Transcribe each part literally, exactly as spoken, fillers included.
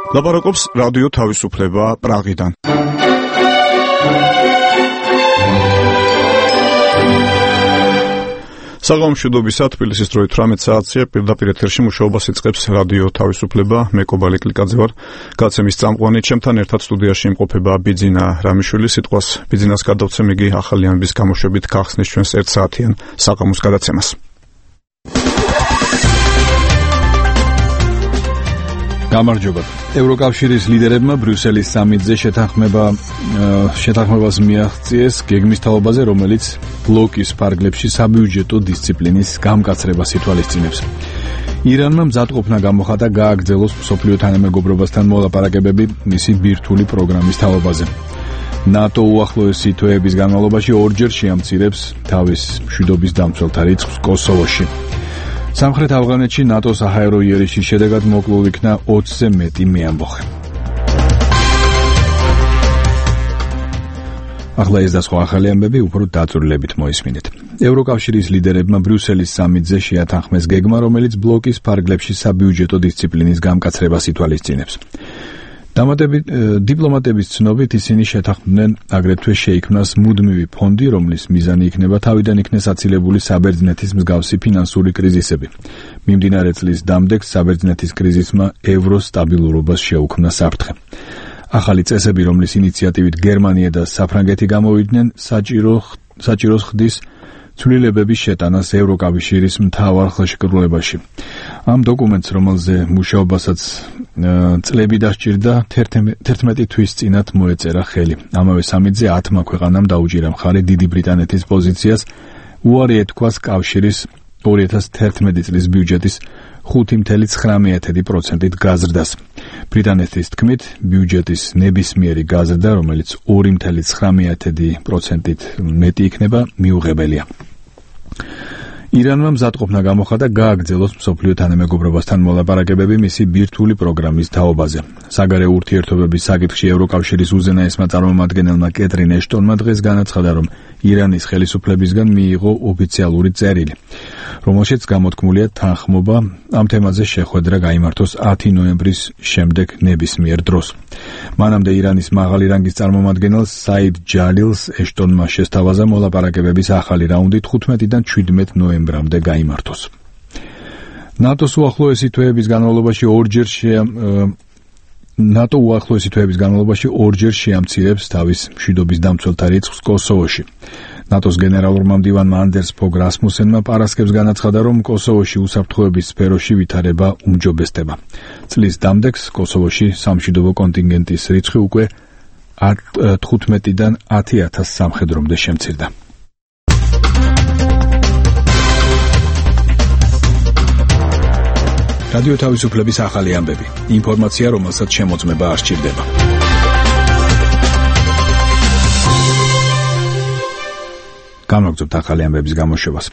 ლაპარაკობს რადიო თავისუფლება პრაღიდან. საღამომშვიდობისა, თბილისის დროით ათმეტ საათზე პირდაპირ ეთერში მუშაობას იწყებს რადიო თავისუფლება. მე კობალი კლიკაძე ვარ. გაცემის წამყვანი, ჩემთან ერთად სტუდიაში იმყოფება ბიძინა რამიშვილი. სიტყვას ბიძინას გადავცემ, იგი ახალი ამბის გამოშვებით გახსნის ჩვენს ერთ საათიან საღამოს გადაცემას. გამარჯობა. ევროკავშირის ლიდერებმა ბრიუსელის სამიტზე შეთანხმება შეთანხმებას მიაღწიეს გეგმის თაობაზე, რომელიც ბლოკის ფარგლებში საბიუჯეტო დისციპლინის გამკაცრებას ითვალისწინებს. ირანმა მზადყოფნა გამოხატა გააგრძელოს მსოფლიო თანამეგობრობასთან მოლაპარაკებები მისი ბირთვული პროგრამის თაობაზე. ნატო უახლოესი თვეების განმავლობაში ორჯერ შეამცირებს თავის მშვიდობის დამცველთა რიცხვს კოსოვოში. სამხრეთ ავღანეთში ნატოს საჰაერო იერიშის შედეგად მოკლულ იქნა ოცზე მეტი მეამბოხე. ახლა ეს და სხვა ახალი ამბები უფრო დაწვრილებით მოისმინეთ. ევროკავშირის ლიდერებმა ბრიუსელის სამიტზე შეათანხმეს გეგმა, რომელიც ბლოკის ფარგლებში საბიუჯეტო დისციპლინის გამკაცრებას ითვალისწინებს. დიპლომატების ცნობით ისინი შეთანხმდნენ აგრეთვე შეიქმნას მუდმივი ფონდი, რომლის მიზანი იქნება თავიდან იქნეს აცილებული საბერძნეთის მსგავსი ფინანსური კრიზისები. მიმდინარე წლის დამდეგს საბერძნეთის კრიზისმა ევროს სტაბილურობას შეუქმნა საფრთხე. ახალი წესები, რომლის ინიციატივით გერმანია და საფრანგეთი გამოვიდნენ, საჭირო საჭიროს ხდის ცვლილებების შეტანას ევროკავშირის მთავარ ხელშეკრულებაში. ამ დოკუმენტს, რომელზე მუშაობასაც წლები დასჭირდა, თერთმეტი თვის წინათ მოეწერა ხელი. ამავე სამიტზე ათმა ქვეყანამ დაუჭირა მხარი დიდი ბრიტანეთის პოზიციას, უარი ეთქვას კავშირის ორი ათას თერთმეტი წლის ბიუჯეტის ხუთი ცხრილი ცხრამეტი პროცენტით გაზრდას. ბრიტანეთის თქმით, ბიუჯეტის ნებისმიერი გაზრდა, რომელიც ორი ცხრილი ცხრამეტი პროცენტით მეტი იქნება, მიუღებელია. ირანმა მზადყოფნა გამოხატა გააგრძელოს მსოფლიო თანამეგობრობასთან მოლაპარაკებები მისი ბირთვული პროგრამის თაობაზე. საგარეო ურთიერთობების საკითხში ევროკავშირის უზენაესმა წარმომადგენელმა კეტრინ ეშტონმა დღეს განაცხადა, რომ ირანის ხელისუფლებისგან მიიღო ოფიციალური წერილი, რომელშიც გამოთქმულია თანხმობა ამ თემაზე შეხვედრა გაიმართოს ათი ნოემბრის შემდეგ ნებისმიერ დროს. მანამდე ირანის მაღალი რანგის წარმომადგენელს საიდ ჯალილს ეშტონმა შესთავაზა მოლაპარაკებების ახალი რაუნდი თხუთმეტიდან შვიდმეტ ნოემბრამდე გაიმართოს. ნატოს უახლოესი თვეების განმავლობაში ორჯერ შეა ნატო უახლოესი თვეების განმავლობაში ორჯერ შეამცირებს თავის მშვიდობის დამცველთა რიცხვს კოსოვოში. ნატოს გენერალურმა მდივანმა ანდერს ფოგ რასმუსენმა პარასკევს განაცხადა, რომ კოსოვოში უსაფრთხოების სფეროში ვითარება უმჯობესდება. წლის დამდეგს კოსოვოში სამშვიდობო კონტინგენტის რიცხვი უკვე თხუთმეტიდან ათი ათას სამხედრომდე შემცირდა. რადიო თავისუფლების ახალი ამბები. ინფორმაცია, რომელსაც შემოწმება არ სჭირდება. განვაგრძობთ ახალი ამბების გამოშვებას.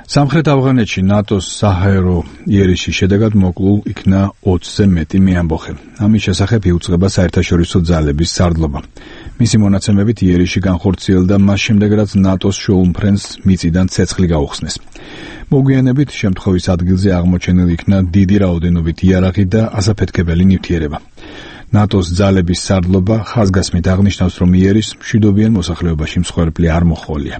სამხრეთ ავღანეთში ნატოს საჰაერო იერიშის შედეგად მოკლულ იქნა ოცზე მეტი მეამბოხე. ამის შესახებ იუწყება საერთაშორისო ძალების სარდლობა. მისი მონაცემებით იერიში განხორციელდა მას შემდეგ, რაც ნატოს შოუმფრენს მიწიდან ცეცხლი გაუხსნეს. მოგვიანებით შემთხვევის ადგილზე აღმოჩენილი იქნა დიდი რაოდენობით იარაღი და ასაფეთქებელი ნივთიერება. ნატოს ძალების სარდლობა ხაზგასმით აღნიშნავს, რომ იერიშს მშვიდობიან მოსახლეობაში მსხვერპლი არ მოჰყოლია.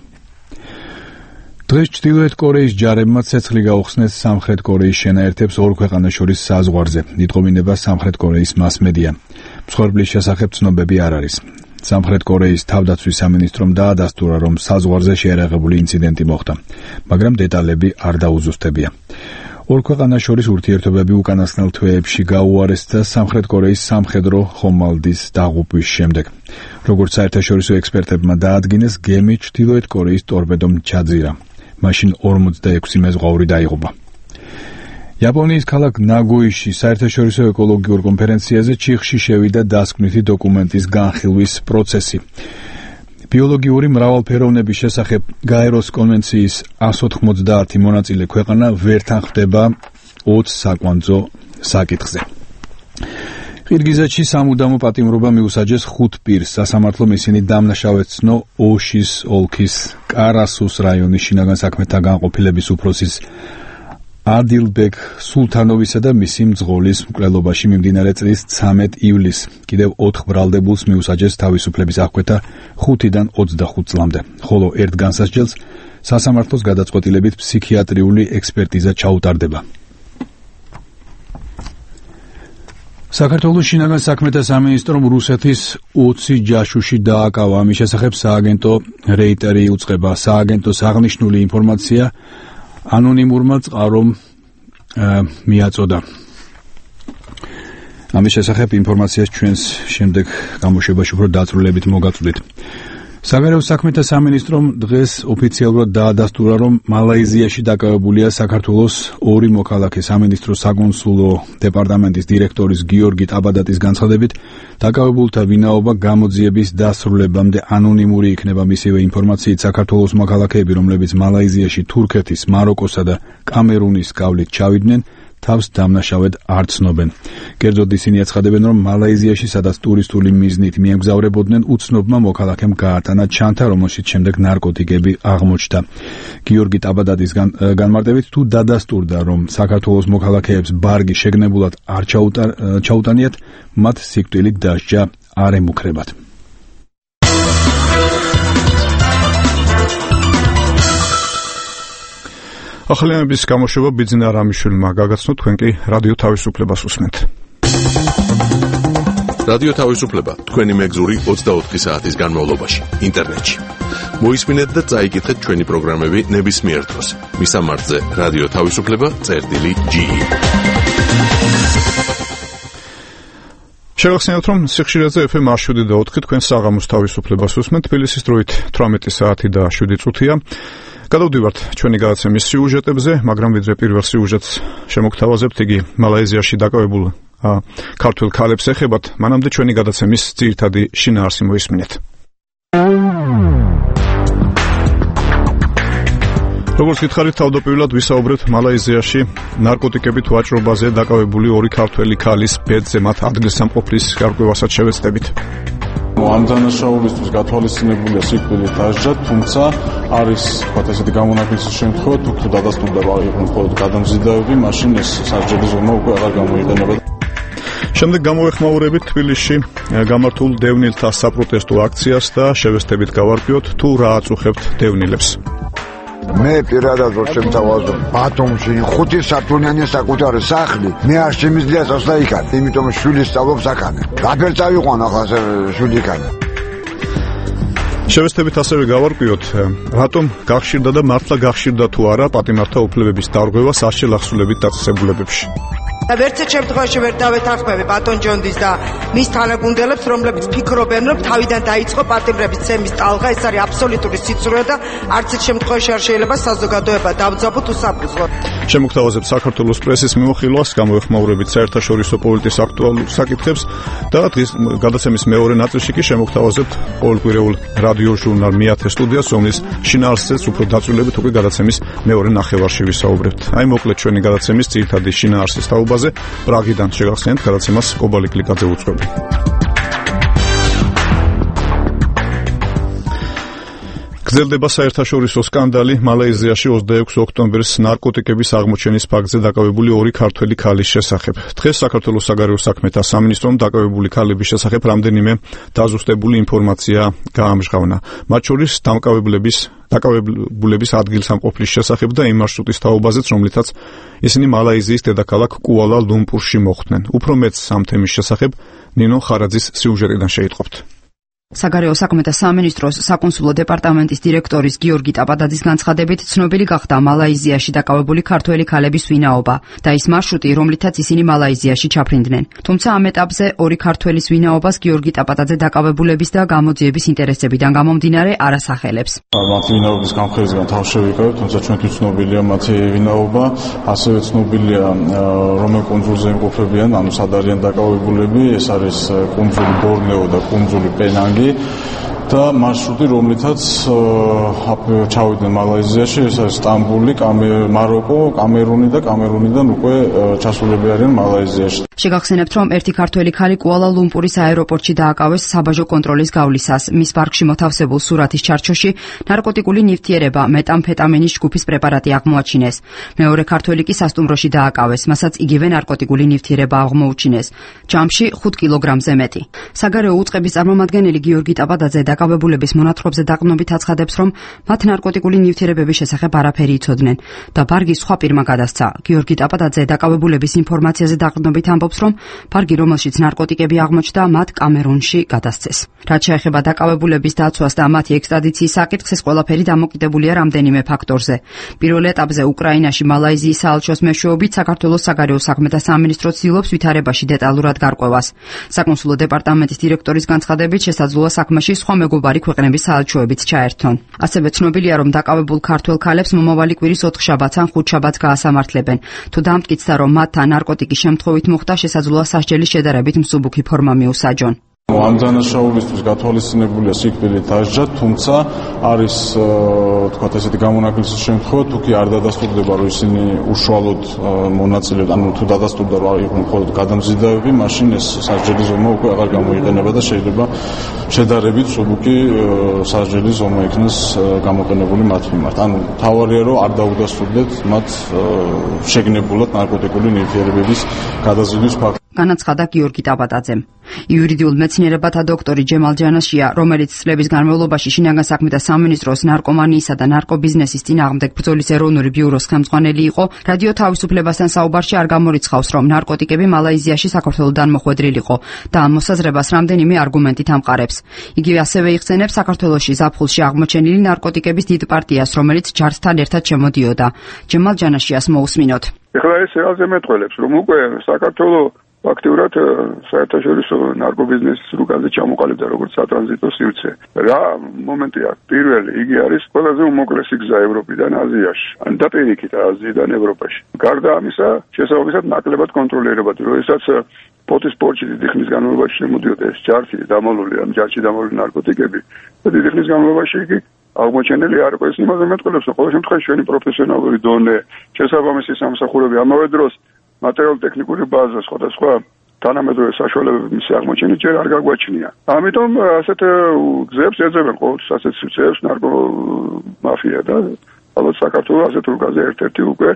დღეს ჩრდილოეთ კორეის ჯარებმა ცეცხლი გაუხსნეს სამხრეთ კორეის შენაერთებს ორ ქვეყანას შორის საზღვარზე. იტყობინება სამხრეთ კორეის მასმედია. მსხვერპლის შესახებ ცნობები არ არის. სამხრეთ კორეის თავდაცვის სამინისტრომ დაადასტურა, რომ საზღვარზე შეერაღებული ინციდენტი მოხდა, მაგრამ დეტალები არ დაუზუსტებია. ორ ქვეყანას შორის ურთიერთობები უკანასკნელ თვეებში გაუარესდა სამხრეთ კორეის სამხედრო ხომალდის დაღუპვის შემდეგ. როგორც საერთაშორისო ექსპერტებმა დაადგინეს, გემი ჩრდილოეთ კორეის ტორპედომ ჩაძირა. მაშინ ორმოცდაექვსი მეზღვაური დაიღუპა. იაპონიის ქალაქ ნაგოიში საერთაშორისო ეკოლოგიურ კონფერენციაზე ჩიხში შევიდა დასკვნითი დოკუმენტის განხილვის პროცესი. ბიოლოგიური მრავალფეროვნების შესახებ გაეროს კონვენციის εκατს ოთხმოცდაათი მონაწილე ქვეყანა ვერ თანხმდება ოცს საკვანძო საკითხზე. ყირგიზეთში სამუდამო პატიმრობა მიუსაჯეს ხუთ პირს. სასამართლომ ისინი დამნაშავეცნო ოშის ოლქის კარასუს რაიონის შინაგან საქმეთა განყოფილების უფროსის ადილბეკ სულთანოვისა და მისი მძღოლის მკვლელობაში მიმდინარე წლის ცამეტ ივლისს კიდევ ოთხ ბრალდებულს მიუსაჯეს თავისუფლების აღკვეთა ხუთიდან ოცდახუთ წლამდე, ხოლო ერთ განსასჯელს სასამართლოს გადაწყვეტილებით ფსიქიატრიული ექსპერტიზა ჩაუტარდება. საქართველოს შინაგან საქმეთა სამინისტრომ რუსეთის ოცი ჯაშუში დააკავა. ამის შესახებ სააგენტო რეიტერი იუწყება. სააგენტოს აღნიშნული ინფორმაცია ანონიმურმა წყარომ მიაწოდა. ამის შესახებ ინფორმაციას ჩვენს შემდეგ გამოშვებაში უფრო დაწვრილებით მოგაწვდით. საგარეო საქმეთა სამინისტრომ დღეს ოფიციალურად დაადასტურა, რომ მალაიზიაში დაკავებულია საქართველოს ორი მოქალაქე. სამინისტროს საკონსულო დეპარტამენტის დირექტორის გიორგი ტაბადატის განცხადებით, დაკავებულთა ვინაობა გამოძიების დასრულებამდე ანონიმური იქნება. მისივე ინფორმაციით, საქართველოს მოქალაქეები, რომლებიც მალაიზიაში თურქეთის, მაროკოსა და კამერუნის გავლით ჩავიდნენ, თავს დამნაშავედ არ ცნობენ. კერძოდ ისინი აცხადებენ, რომ მალაიზიაში, სადაც ტურისტული მიზნით მიემგზავრებოდნენ, უცნობმა მოქალაქემ გაატანა ჩანთა, რომელშიც შემდეგ ნარკოტიკები აღმოჩნდა. გიორგი ტაბადატის განმარტებით, თუ დადასტურდა, რომ საქართველოს მოქალაქეებს ბარგი შეგნებულად არ ჩაუტანიათ, მათ სიკვდილით დასჯა არ ემუქრებათ. ახალიანების გამოშვება ბიძინა რამიშვილმა გაგაცნო, თქვენ კი რადიო თავისუფლებას უსმენთ. რადიო თავისუფლება თქვენი მეგზური ოცდაოთხი საათის განმავლობაში ინტერნეტში. მოისმინეთ და წაიკითხეთ ჩვენი პროგრამები ნებისმიერ დროს. მისამართზე რადიო თავისუფლება წერტილი ჯი. შევახსენოთ, რომ სიხშირეზე ეფ ემ შვიდი და ოთხი თქვენ საღამოს თავისუფლებას უსმენთ. თბილისის დროით თვრამეტი საათი და შვიდი წუთია. გადავდივართ ჩვენი გადაცემის სიუჟეტებზე, მაგრამ ვიდრე პირველ სიუჟეტს შემოგთავაზებთ, იგი მალაიზიაში დაკავებულ ქართველ ქალებს ეხებათ, მანამდე ჩვენი გადაცემის ძირითადი შინაარსი მოისმინეთ. როგორც გითხარით, თავდაპირველად ვისაუბრებთ მალაიზიაში ნარკოტიკებით ვაჭრობაზე დაკავებული ორი ქართველი ქალის ბედზე, მათ ადგილსამყოფლის გარკვევასაც შევეცდებით. ამ დანაშაულისთვის გათვალისწინებულია სიკვდილით დასჯა, თუმცა არის თქვათ ესეთი გამონაკლისი შემთხვევა, თუ თუ დადასტურდება იყო მხოლოდ გადამზიდავები, მაშინ ეს სასჯელი ზომა უკვე აღარ გამოიყენება. შემდეგ გამოეხმაურებით თბილისში გამართულ დევნილთა საპროტესტო აქციას და შევეცდებით გავარკვიოთ, თუ რა აწუხებთ დევნილებს. მე პირადად რო შემთავაზო ბათუმში ხუთი სართულიანი საკუთარი სახლი, მე არ შემიძლია წასვლა იქან, იმიტომ შვილი სწავლობს აქანე. რაბერ წავიყვან ახლა შვილი იქან. შევეცდებით ასევე გავარკვიოთ, რატომ გახშირდა და მართლა გახშირდა თუ არა პატიმართა უფლებების დარღვევა სასჯელ ახსულებით დაწესებულებებში. ვერცერთ შემთხვევაში ვერ დავეთანხმები ბატონ ჯონდის და მის თანაგუნდელებს, რომლებიც ფიქრობენ, რომ თავიდან დაიწყო პატიმრების ცემის ტალღა. ეს არის აბსოლუტური სიცრუე და არც ერთ შემთხვევაში არ შეიძლება საზოგადოება დავძაბოთ უსაფრთხოდ. შემოგთავაზებთ საქართველოს პრესის მიმოხილვას, გამოეხმაურებით საერთაშორისო პოლიტიკის აქტუალურ საკითხებს და დღის გადაცემის მეორე ნაწილში კი შემოგთავაზებთ ყოველკვირეულ რადიო ჟურნალ მეათე სტუდიას, რომლის შინაარსზეც უფრო დაწვრილებით უკვე გადაცემის მეორე ნახევარში ვისაუბრებთ. აი მოკლედ ჩვენი გადაცემის ძირითადი შინაარსის თაობაზე პრაღიდან შეგახსენებთ გადაცემას კობალი კლიკაძე უძღვები. გრძელდება საერთაშორისო სკანდალი მალაიზიაში ოცდაექვსი ოქტომბრის ნარკოტიკების აღმოჩენის ფაქტზე დაკავებული ორი ქართველი ქალის შესახებ. დღეს საქართველოს საგარეო საქმეთა სამინისტრომ დაკავებული ქალების შესახებ რამდენიმე დაზუსტებული ინფორმაცია გაამჟღავნა. მათ შორის დამკავებლების დაკავებულების ადგილსამყოფლის შესახებ და იმ მარშრუტის თაობაზეც, რომლითაც ისინი მალაიზიის დედაქალაქ კუალა-ლუმპურში მოხვდნენ. უფრო მეტს ამ თემის შესახებ ნინო ხარაძის სიუჟეტიდან შეიტყობთ. საგარეო საქმეთა სამინისტროს საკონსულო დეპარტამენტის დირექტორის გიორგი ტაბადაძის განცხადებით, ცნობილი გახდა მალაიზიაში დაკავებული ქართველი ქალების ვინაობა და ის მარშრუტი, რომლითაც ისინი მალაიზიაში ჩაფრინდნენ. თუმცა ამ ეტაპზე ორი ქართველის ვინაობას გიორგი ტაბადაძე დაკავებულების და გამოძიების ინტერესებიდან გამომდინარე არ ასახელებს. მათი ვინაობის გამხელისგან თავ შევიკავებ, თუმცა ჩვენთვის ცნობილია მათი ვინაობა, ასევე ცნობილია რომელ კუნძულზე იმყოფებიან, ანუ სად არიან დაკავებულები. ეს არის კუნძული ბორნეო და კუნძული პენანგი. და მარშრუტი, რომლითაც ჩავიდნენ მალაიზიაში, ეს არის სტამბული, მაროკო, კამერუნი და კამერუნიდან უკვე ჩასულები არიან მალაიზიაში. შეგახსენებთ, რომ ერთი ქართველი ქალი კუალა-ლუმპურის აეროპორტში დააკავეს საბაჟო კონტროლის გავლისას. მის ბარგში მოთავსებულ სურათის ჩარჩოში ნარკოტიკული ნივთიერება, მეტამფეტამინის ჯგუფის პრეპარატი აღმოაჩინეს. მეორე ქართველი კი სასტუმროში დააკავეს, მასაც იგივე ნარკოტიკული ნივთიერება აღმოუჩინეს. ჯამში ხუთ კილოგრამზე მეტი. საგარეო უწყების წარმომადგენელი გიორგი ტაბადაძე დაკავებულების მონათხრობზე დაყრდნობით აცხადებს, რომ მათ ნარკოტიკული ნივთიერებების შესახებ არაფერი იცოდნენ და ბარგი სხვა პირმა გადასცა. გიორგი ტაბადაძე დაკავებულების ინფორმაციაზე დაყრდნობით ამბობს, რომ ბარგი, რომელშიც ნარკოტიკები აღმოჩნდა, მათ კამერუნში გადასცეს. რაც შეეხება დაკავებულების დაცვას და მათი ექსტრადიციის საკითხს, ეს ყველაფერი დამოკიდებულია რამდენიმე ფაქტორზე. პირველ ეტაპზე უკრაინაში მალაიზიის საელჩოს მეშვეობით საქართველოს საგარეო საქმეთა სამინისტრო ცდილობს ვითარებაში დეტალურად გარკვევას. საკონსულო დეპარტამენტის დირექტორის განცხადებით, შესაძლოა საქმეში სხვა მეგობარი ქვეყნების საელჩოებიც ჩაერთონ. ასევე ცნობილია, რომ დაკავებულ ქართველ ქალებს მომავალი კვირის ოთხშაბათს ან ხუთშაბათს გაასამართლებენ. თუ დამტკიცდა, რომ მათთან ნარკოტიკის შემთხვევით მოხდა, შესაძლოა სასჯელის შედარებით მსუბუქი ფორმა მიუსაჯონ. ამ დანაშაულისთვის გათვალისწინებულია სიკვდილით დასჯა, თუმცა არის თქვათ ესეთი გამონაკლისის შემთხვევა, თუ კი არ დადასტურდება, რომ ისინი უშუალოდ მონაწილეობდნენ, ანუ თუ დადასტურდა, რომ იყვნენ მხოლოდ გადამზიდავები, მაშინ ეს სასჯელის ზომა უკვე აღარ გამოიყენება და შეიძლება შედარებით მსუბუქი სასჯელის ზომა იქნას გამოყენებული მათ მიმართ. ანუ თავარია, რომ არ დაუდასტურდეთ მათ შეგნებულად ნარკოტიკული ნივთიერებების გადაზიდვის ფაქტი. განაცხადა გიორგი ტაბადაძემ. იურიდიულ მეცნიერებათა დოქტორი ჯემალ ჯანაშია, რომელიც წლების განმავლობაში შინაგან საქმეთა სამინისტროს ნარკომანიისა და ნარკობიზნესის წინააღმდეგ ბრძოლის ეროვნული ბიუროს ხელმძღვანელი იყო, რადიო თავისუფლებასთან საუბარში არ გამორიცხავს, რომ ნარკოტიკები მალაიზიაში საქართველოდან მოხვედრილიყო და ამ მოსაზრებას რამდენიმე არგუმენტით ამყარებს. იგივე ასევე იხსენებს საქართველოში ზაფხულში აღმოჩენილი ნარკოტიკების დიდ პარტიას, რომელიც ჯართან ერთად შემოდიოდა. ჯემალ ჯანაშიას მოусმინოთ. ეხლა ეს ყველაზე მეტყველებს, რომ უკვე საქართველოს აქტიურად საერთაშორისო ნარკობიზნესის რუკაზე ჩამოყალიბდა როგორც სატრანზიტო სივრცე. რა მომენტი აქვს? პირველი, იგი არის ყველაზე უმოკლესი გზა ევროპიდან აზიაში, ან და პირიქით აზიიდან ევროპაში. გარდა ამისა, შესაბამისად ნაკლებად კონტროლირებადი, როდესაც პოტის პორტში დიდი ხნის განმავლობაში შემოდიოდა ეს ჯარში დამალული, ამ ჯარში დამალული ნარკოტიკები და დიდი ხნის განმავლობაში იგი აღმოჩენილი არ იყო. ეს იმაზე მეტყველებს, რომ ყოველ შემთხვევაში ჩვენი პროფესიონალური დონე, შესაბამისი სამსახურები, ამავე დროს მატერიალურ-ტექნიკური ბაზა, სხვადასხვა თანამედროვე საშუალებები მისი აღმოჩენით ჯერ არ გაგვაჩნია. ამიტომ ასეთ გზებს ეძებენ ყოველთვის ასეთ სივრცეებს ნარკომაფია და ალბათ საქართველოს ასეთ რუკაზე ერთ-ერთი უკვე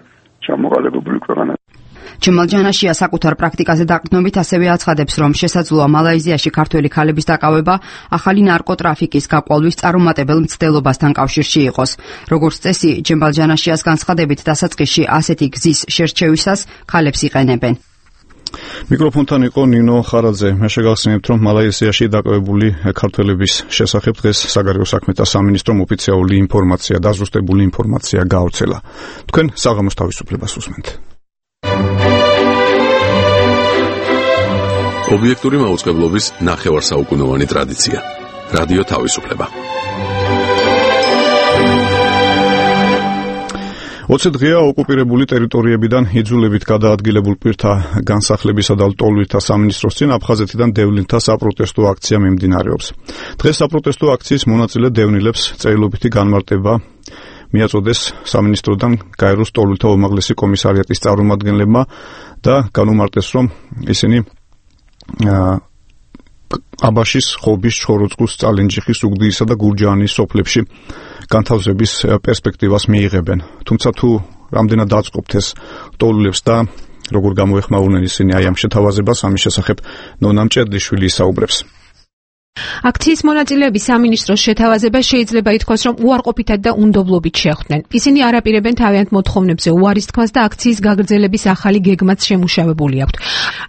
ჩამოყალიბებული ქვეყანა. ჯემალ ჯანაშია საკუთარ პრაქტიკაზე დაყრდნობით ასევე აცხადებს, რომ შესაძლოა მალაიზიაში ქართველი ქალების დაკავება ახალი ნარკოტრაფიკის გაყვალვის წარუმატებელ მცდელობასთან კავშირში იყოს. როგორც წესი, ჯემალ ჯანაშიას განცხადებით, დასაწყისში ასეთი გზის შერჩევისას ქალებს იყენებენ. მიკროფონთან იყო ნინო ხარაძე. მე შეგახსენებთ, რომ მალაიზიაში დაკავებული ქართველების შესახებ დღეს საგარეო საქმეთა სამინისტრომ ოფიციალური ინფორმაცია, დაზუსტებული ინფორმაცია გაავრცელა. თქვენ საღამოს თავისუფლებას უსმენთ. ობიექტური მაუწყებლობის ნახევარსაუკუნოვანი ტრადიცია. რადიო თავისუფლება. ოცი დღეა ოკუპირებული ტერიტორიებიდან იძულებით გადაადგილებულ პირთა განსახლებისა და ლტოლვითთა სამინისტროს წინ აფხაზეთიდან დევნილთა საპროტესტო აქცია მიმდინარეობს. დღეს საპროტესტო აქციის მონაწილე დევნილებს წერილობითი განმარტება მიაწოდეს სამინისტროდან გაეროს ლტოლვილთა უმაღლესი კომისარიატის წარმომადგენლებმა და განუმარტეს, რომ ისინი აბაშის, ხობის, ჩხოროწყუს, წალენჯიხის, უგდიისა და გურჯაანის სოფლებში განთავსების პერსპექტივას მიიღებენ. თუმცა თუ რამდენად დაწყობთ ეს ლტოლვილებს და როგორ გამოეხმაურნენ ისინი აი ამ შეთავაზებას, ამის შესახებ ნონა მჭედლიშვილი ისაუბრებს. აქციის მონაწილეები სამინისტროს შეთავაზებას შეიძლება ითქვას, რომ უარყოფითად და უნდობლობით შეხვდნენ. ისინი არ აპირებენ თავიანთ მოთხოვნებზე უარის თქმას და აქციის გაგრძელების ახალი გეგმაც შემუშავებული აქვთ.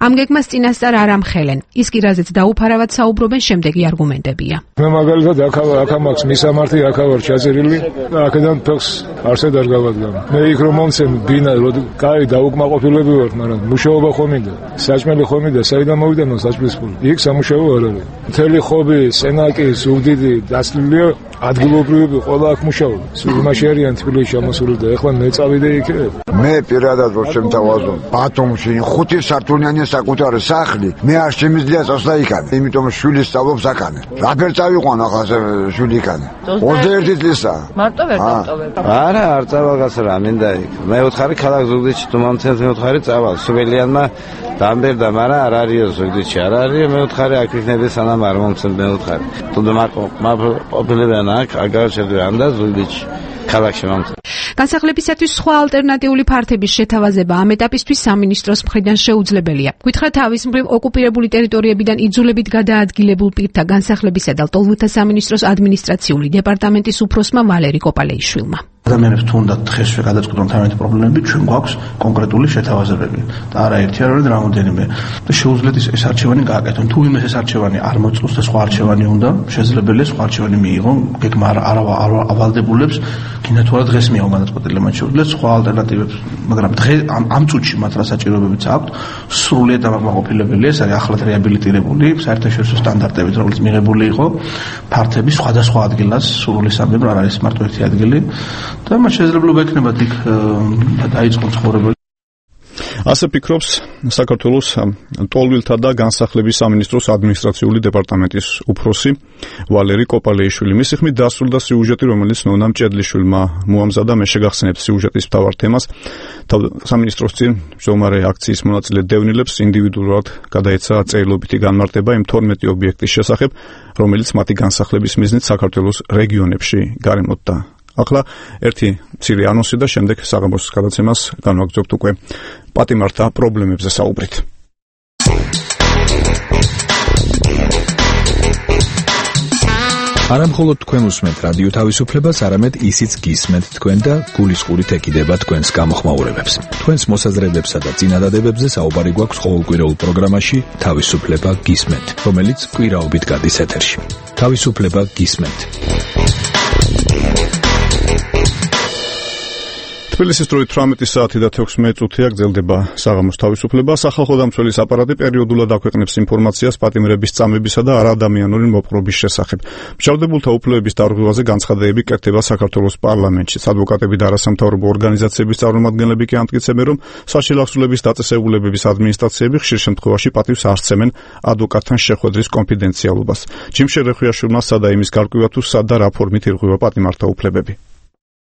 ამ გეგმას წინასწარ არ ამხელენ. ის კი რაზეც დაუფარავად საუბრობენ, შემდეგი არგუმენტებია. მე მაგალითად აქ მაქვს მისამართი, აქ ვარ ჩაწერილი და აქედან ფეხს არსად არ გავადგამ. მე იქ რომ მომცემ ბინა, რომ კაი დაუკმაყოფილები ვართ, მაგრამ მუშაობა ხომიდა. საჭმელი ხომიდა, საიდან მოვიდანო საჭმლის ფული. იქ სამუშაო არ არის. მთელი ხობი, სენაკი, ზუგდიდი დაცლილია ადგილობრივები ყველა აქ მუშაობენ. იმაში არიან თბილისში ამოსული და ეხლა მე წავიდე იქ. მე პირადად რო შემთავაზო ბათუმში ხუთი სართულიანი საკუთარი სახლი, მე არ შემიძლია წასვლა იქან. იმიტომ შვილი სწავლობს აქან. რაფერ წავიყვან ახლა შვილი იქან. ოცდაერთი წლისა. მარტო ვერ დავტოვებ. არა, არ წავალგას რა მინდა იქ. მე უთხარი ქალაქ ზუგდიდში თუ მომცემს მე უთხარი წავალ. სუველიანმა დამბერდა, მაგრამ არ არისო ზუგდიდში. არ არის მე უთხარი აქ იქნები სანამ არ მომცემ მე უთხარი. თუ მაპოპილებიან აქ აგარჩევდიან და ზუგდიდში. ქალაქში მომცემ. განსახლებისათვის სხვა ალტერნატიული ფართების შეთავაზება ამ ეტაპისთვის სამინისტროს მხრიდან შეუძლებელია. გითხრა თავის მხრივ ოკუპირებული ტერიტორიებიდან იძულებით გადაადგილებულ პირთა განსახლებისა და ლტოლვილთა სამინისტროს ადმინისტრაციული დეპარტამენტის უფროსმა ვალერი კოპალეიშვილმა. ადამიანებს თუნდაც დღესვე გადაწყვეტონ თავიანთი პრობლემები, ჩვენ გვაქვს კონკრეტული შეთავაზებები და არა ერთი არ არის რამოდენიმე. და შეუძლიათ ეს არჩევანი გააკეთონ. თუ იმეს ეს არჩევანი არ მოწონს და სხვა არჩევანი უნდა, შესაძლებელია სხვა არჩევანი მიიღონ, გეგმა არ ავალდებულებს, კიდე თუ არა დღეს მიიღონ გადაწყვეტილი, მათ შეუძლიათ სხვა ალტერნატივებს, მაგრამ დღეს ამ ამ წუთში მათ რა საჭიროებებიც აქვთ, სრულიად დამაკმაყოფილებელია, ეს არის ახლად რეაბილიტირებული, საერთაშორისო სტანდარტებით, რომელიც მიღებული იყო ფართები სხვადასხვა ადგილას, სრული სამხედრო არ არის მარტო ერთი ადგილი. და მას შესაძლებლობა ექნება იქ დაიწყოს ცხოვრება. ასე ფიქრობს საქართველოს ლტოლვილთა და განსახლების სამინისტროს ადმინისტრაციული დეპარტამენტის უფროსი ვალერი კოპალეიშვილი. მისი ხმით დასრულდა სიუჟეტი, რომელიც ნონა მჭედლიშვილმა მოამზადა. მე შეგახსენებ სიუჟეტის მთავარ თემას. სამინისტროს წინ მжомარე აქციის მონაწილე დევნილებს ინდივიდუალურად გადაეცა წერილობითი განმარტება იმ თორმეტი ობიექტის შესახებ, რომელიც მათი განსახლების მიზნით საქართველოს რეგიონებში გარემოდდა. ახლა ერთი მცირე ანონსი და შემდეგ საღამოს გადაცემას განვაგრძობთ უკვე პატიმართა პრობლემებზე საუბრით. არა მხოლოდ თქვენ უსმენთ რადიო თავისუფლებას, არამედ ისიც გისმენთ თქვენ და გულისყურით ეკიდება თქვენს გამოხმაურებებს. თქვენს მოსაზრებებსა და წინადადებებზე საუბარი გვაქვს ყოველკვირეულ პროგრამაში თავისუფლება გისმენთ, რომელიც კვირაობით გადის ეთერში. თავისუფლება გისმენთ. თბილისის დროით თვრამეტი საათი და თექვსმეტ წუთია გრძელდება საღამოს თავისუფლება. სახალხო დამცველის აპარატი პერიოდულად აქვეყნებს ინფორმაციას პატიმრების წამებისა და არაადამიანური მოპყრობის შესახებ. მშავდებულთა უფლებების დარღვევაზე განცხადებები კეთდება საქართველოს პარლამენტში. ადვოკატები და არასამთავრობო ორგანიზაციების წარმომადგენლები კი ამტკიცებენ, რომ საშილახსულების დაწესებულებების ადმინისტრაციები ხშირ შემთხვევაში პატივს არ სცემენ ადვოკატთან შეხვედრის კონფიდენციალობას. ჯიმშე რეხვიაშვილმა სადა იმის გარკვევა თუ სად და რა ფორმით ირღვევა პატიმართა უფლებები.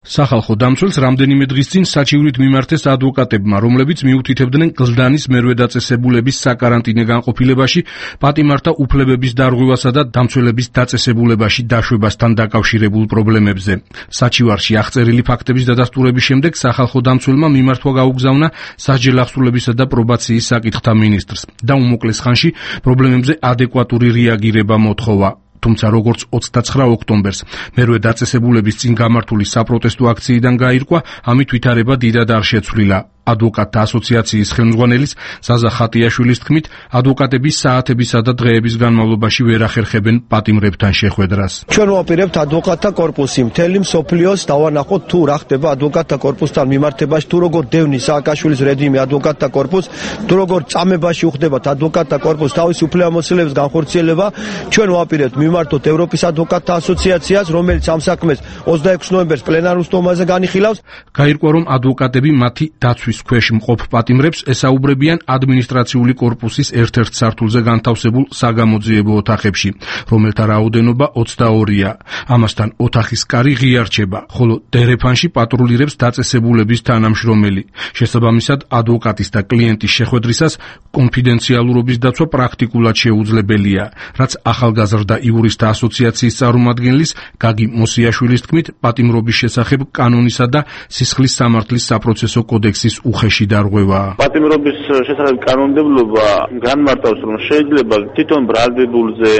სახალხო დამცველს რამდენიმე დღის წინ საჩივრით მიმართეს ადვოკატებმა, რომლებიც მიუთითებდნენ გლდანის მერვე დაწესებულების საკარანტინე განყოფილებაში პატიმართა უფლებების დარღვევასა და დამცველების დაწესებულებაში დაშვებასთან დაკავშირებულ პრობლემებზე. საჩივარში აღწერილი ფაქტების დადასტურების შემდეგ სახალხო დამცველმა მიმართვა გაუგზავნა სასჯელახსულებისა და პრობაციის საკითხთა მინისტრს და უმოკლეს ხანში პრობლემებზე ადეკვატური რეაგირება მოთხოვა. თუმცა როგორც ოცდაცხრა ოქტომბერს მერვე დაწესებულების წინ გამართული საპროტესტო აქციიდან გაირკვა, ამით ვითარება დიდად არ შეცვლილა. ადვოკატთა ასოციაციის ხელმძღვანელის ზაზა ხატიაშვილის თქმით, ადვოკატები საათებისა და დღეების განმავლობაში ვერ ახერხებენ პატიმრებთან შეხვედრას. ჩვენ ვაპირებთ ადვოკატთა კორპუსი მთელი მსოფლიოს დავანახოთ თუ რა ხდება ადვოკატთა კორპუსთან მიმართებაში, თუ როგორ დევნის სააკაშვილის რეჟიმი ადვოკატთა კორპუსს, თუ როგორ წამებაში უხდებათ ადვოკატთა კორპუსს თავის უფლებამოსილების განხორციელება. ჩვენ ვაპირებთ მიმართოთ ევროპის ადვოკატთა ასოციაციას, რომელიც ამ საქმეს ოცდაექვსი ნოემბერს პლენარულ სტომაზე განიხილავს. გაირკვა, რომ ადვოკატები მათი დაცვის ქვეშ მყოფ პატიმრებს ესაუბრებიან ადმინისტრაციული კორპუსის ერთ-ერთ სართულზე განთავსებულ საგამოძიებო ოთახებში, რომელთა რაოდენობა ოცდაორია. ამასთან ოთახის კარი ღია რჩება, ხოლო დერეფანში პატრულირებს დაწესებულების თანამშრომელი. შესაბამისად, ადვოკატის და კლიენტის შეხვედრისას კონფიდენციალურობის დაცვა პრაქტიკულად შეუძლებელია, რაც ახალგაზრდა იურისტთა ასოციაციის წარმომადგენლის გაგი მოსიაშვილის თქმით, პატიმრობის შესახებ კანონისა და სისხლის სამართლის საპროცესო კოდექსის უხეში დარღვევა. პატიმრობის შესახებ კანონმდებლობა განმარტავს, რომ შეიძლება თვითონ ბრალდებულზე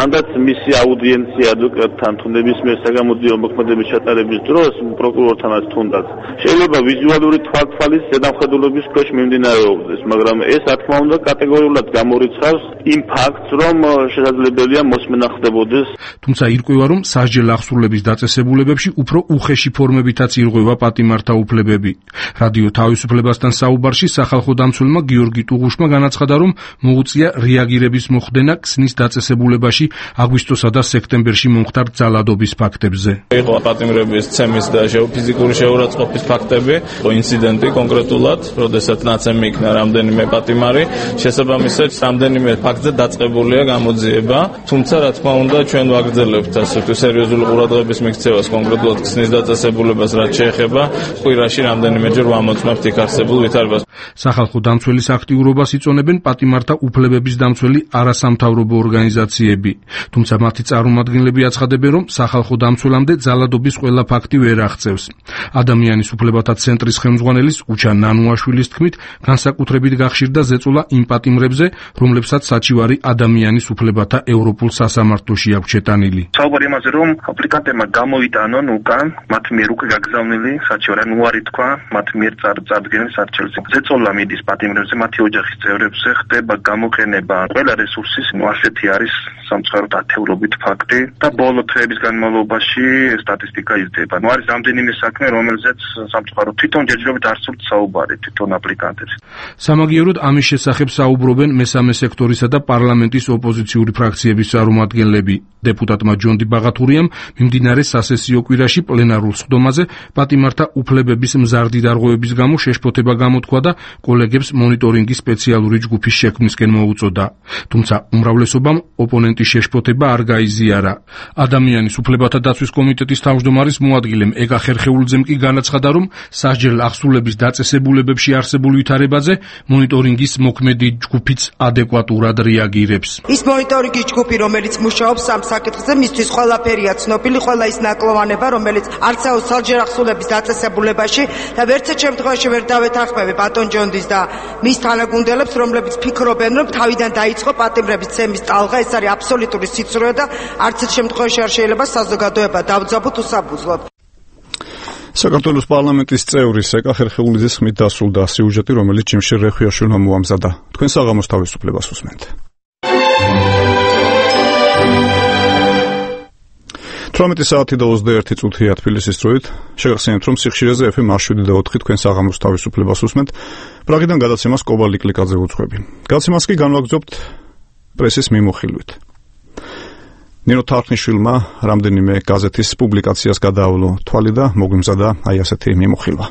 ანდაც მისი აუდიენცია ადვოკატთან თუ ნებისმიერ საგამოძიებო მოქმედების ჩატარების დროს პროკურორთანაც თუნდაც შეიძლება ვიზუალური თვალთვალის ზედამხედველობის ქვეშ მიმდინარეობდეს, მაგრამ ეს რა თქმა უნდა კატეგორიულად გამორიცხავს იმ ფაქტს, რომ შესაძლებელია მოსმენა ხდებოდეს. თუმცა ირკვევა, რომ სასჯელ აღსრულების დაწესებულებებში უფრო უხეში ფორმებითაც ირღვევა პატიმართა უფლებები. რადიო თავისუფლებასთან საუბარში სახალხო დამცველმა გიორგი ტუღუშმა განაცხადა, რომ მოუწია რეაგირების მოხდენა ქსნის დაწესებულებაში აგვისტოსა და სექტემბერში მომხდარ ძალადობის ფაქტებზე. იყო პატიმრების ცემის და ფიზიკური შეურაცხყოფის ფაქტები, ინციდენტი კონკრეტულად, როდესაც ნაცემი იქნა რამდენიმე პატიმარი, შესაბამისად რამდენიმე ფაქტზე დაწყებულია გამოძიება, თუმცა რა თქმა უნდა ჩვენ ვაგრძელებთ ასე თუ სერიოზული ყურადღების მიქცევას კონკრეტულად ქსნის დაწესებულებას, რაც შეეხება კვირაში რამდენიმეჯერ ვამოწმებთ იქ არსებულ ვითარებას. სახალხო დამცველის აქტიურობას იწონებენ პატიმართა უფლებების დამცველი არასამთავრობო ორგანიზაციები, თუმცა მათი წარმომადგენლები აცხადებენ, რომ სახალხო დამცველამდე ძალადობის ყველა ფაქტი ვერ აღწევს. ადამიანის უფლებათა ცენტრის ხელმძღვანელის უჩა ნანუაშვილის თქმით, განსაკუთრებით გახშირდა ზეწოლა იმ პატიმრებზე, რომლებსაც საჩივარი ადამიანის უფლებათა ევროპულ სასამართლოში აქვს შეტანილი. საუბარი იმაზე, რომ აპლიკანტებმა გამოვიტანონ უკან მათ მიერ უკვე გაგზავნილი საჩივარი, ანუ უარი თქვა მათ მიერ წარდგენილ სარჩელზე. ზეწოლა მიდის პატიმრებზე, მათი ოჯახის წევრებზე ხდება გამოყენება ყველა რესურსის, ნუ ასეთი არის სამწუხაროდ ათეულობით ფაქტი და ბოლო თვეების განმავლობაში სტატისტიკა იზრდება. ნუ არის რამდენიმე საქმე, რომელზეც სამწუხაროდ თვითონ ჯერჯერობით არ სურთ საუბარი თვითონ აპლიკანტებს. სამაგიეროდ ამის შესახებ საუბრობენ მესამე სექტორისა და პარლამენტის ოპოზიციური ფრაქციების წარმომადგენლები. დეპუტატმა ჯონდი ბაღათურიამ მიმდინარე სასესიო კვირაში პლენარულ სხდომაზე პატიმართა უფლებების მზარდი დარღვევების გამო შეშფოთება გამოთქვა და კოლეგებს მონიტორინგის სპეციალური ჯგუფის შექმნისკენ მოუწოდა. თუმცა უმრავლესობამ ოპონენტის შეშფოთება არ გაიზიარა. ადამიანის უფლებათა დაცვის კომიტეტის თავმჯდომარის მოადგილემ ეკა ხერხეულძემ კი განაცხადა, რომ სასჯელ აღსრულების დაწესებულებებში არსებულ ვითარებაზე მონიტორინგის მოქმედი ჯგუფიც ადეკვატურად რეაგირებს. ის მონიტორინგის ჯგუფი, რომელიც მუშაობს ამ საკითხზე, მისთვის ყველაფერია ცნობილი, ყველა ის ნაკლოვანება, რომელიც არცაოს სასჯელ აღსრულების დაწესებულებაში და ვერცერთ შემთხვევაში ვერ დავეთანხმები ბატონ ჯონდის და მის თანაგუნდელებს, რომლებიც ფიქრობენ, რომ თავიდან დაიწყო პატიმრების ცემის ტალღა, ეს არის აბსოლუტური სიცრუე და არც ერთ შემთხვევაში არ შეიძლება საზოგადოება დავძაბოთ უსაბუძვლოდ. საქართველოს პარლამენტის წევრის ეკა ხერხეულიძის ხმით დასრულდა სიუჟეტი, რომელიც ჯიმშერ რეხვიაშვილმა მოამზადა. თქვენ საღამოს თავისუფლებას უსმენთ. თვრამეტი საათი და ოცდაერთი წუთია თბილისის დროით. შეგახსენებთ, რომ სიხშირეზე ეფ ემ შვიდი და ოთხი თქვენ საღამოს თავისუფლებას უსმენთ. პრაღიდან გადაცემას კობა ლიკლიკაძე უძღვები. გადაცემას კი განვაგრძობთ პრესის მიმოხილვით. ნინო თარხნიშვილმა რამდენიმე გაზეთის პუბლიკაციას გადაავლო თვალი და მოგვიმზადა აი ასეთი მიმოხილვა.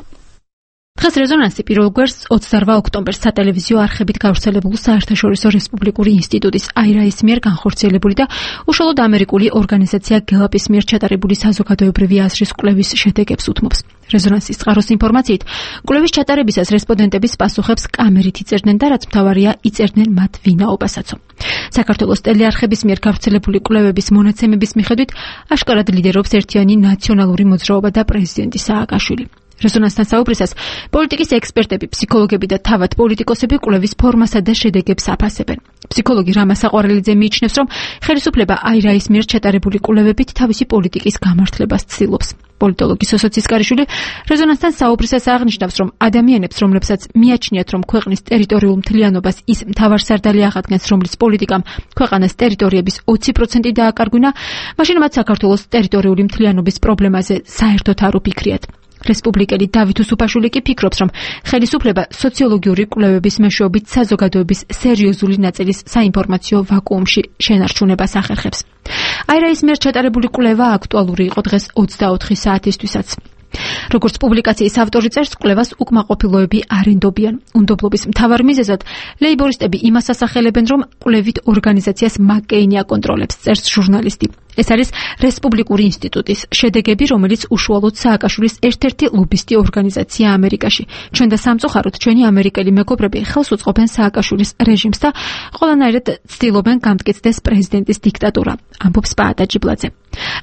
დღეს რეზონანსი პირველ გვერდს ოცდაორ ოქტომბერს სატელევიზიო არხებით გავრცელებულ საერთაშორისო რესპუბლიკური ინსტიტუტის აირაის მიერ განხორციელებული და უშუალოდ ამერიკული ორგანიზაცია გელაპის მიერ ჩატარებული საზოგადოებრივი აზრის კვლევის შედეგებს უთმობს. რეზონანსის წყაროს ინფორმაციით, კვლევის ჩატარებისას რესპონდენტების პასუხებს კამერით იწერდნენ და რაც მთავარია, იწერდნენ მათ ვინაობასაცო. საქართველოს ტელეარხების მიერ გავრცელებული კვლევების მონაცემების მიხედვით, აშკარად ლიდერობს ერთიანი ნაციონალური მოძრაობა და პრეზიდენტი სააკაშვილი. რეზონანსთან საუბრისას პოლიტიკის ექსპერტები, ფსიქოლოგები და თავად პოლიტიკოსები კვლევის ფორმასა და შედეგებს აფასებენ. ფსიქოლოგი რამა საყვარელიძე მიიჩნევს, რომ ხელისუფლება აირაის მიერ ჩატარებული კვლევებით თავისი პოლიტიკის გამართლებას ცდილობს. პოლიტოლოგი სოსო ცისკარიშვილი რეზონანსთან საუბრისას აღნიშნავს, რომ ადამიანებს, რომლებსაც მიაჩნიათ, რომ ქვეყნის ტერიტორიულ მთლიანობას ის მთავარსარდალი აღადგენს, რომლის პოლიტიკამ ქვეყანას ტერიტორიების ოცი პროცენტი დააკარგვინა, მაშინ მათ საქართველოს ტერიტორიული მთლიანობის პრობლემაზე საერთოდ არ უფიქრიათ. რესპუბლიკელი დავით უსუფაშვილი კი ფიქრობს, რომ ხელისუფლება სოციოლოგიური კვლევების მეშვეობით საზოგადოების სერიოზული ნაწილის საინფორმაციო ვაკუუმში შენარჩუნებას ახერხებს. აირაის მიერ ჩატარებული კვლევა აქტუალური იყო დღეს ოცდაოთხი საათისთვისაც. როგორც პუბლიკაციის ავტორი წერს, კვლევას უკმაყოფილოები არ ენდობიან. უნდობლობის მთავარ მიზეზად ლეიბორისტები იმას ასახელებენ, რომ კვლევით ორგანიზაციას მაკ-კეინი აკონტროლებს, წერს ჟურნალისტი. ეს არის რესპუბლიკური ინსტიტუტის შედეგები, რომელიც უშუალოდ სააკაშვილის ერთ-ერთი ლობისტი ორგანიზაცია ამერიკაში. ჩვენ და სამწუხაროდ ჩვენი ამერიკელი მეგობრები ხელს უწყობენ სააკაშვილის რეჟიმს და ყველანაირად ცდილობენ გამტკიცდეს პრეზიდენტის დიქტატურა, ამბობს პაატა ჯიბლაძე.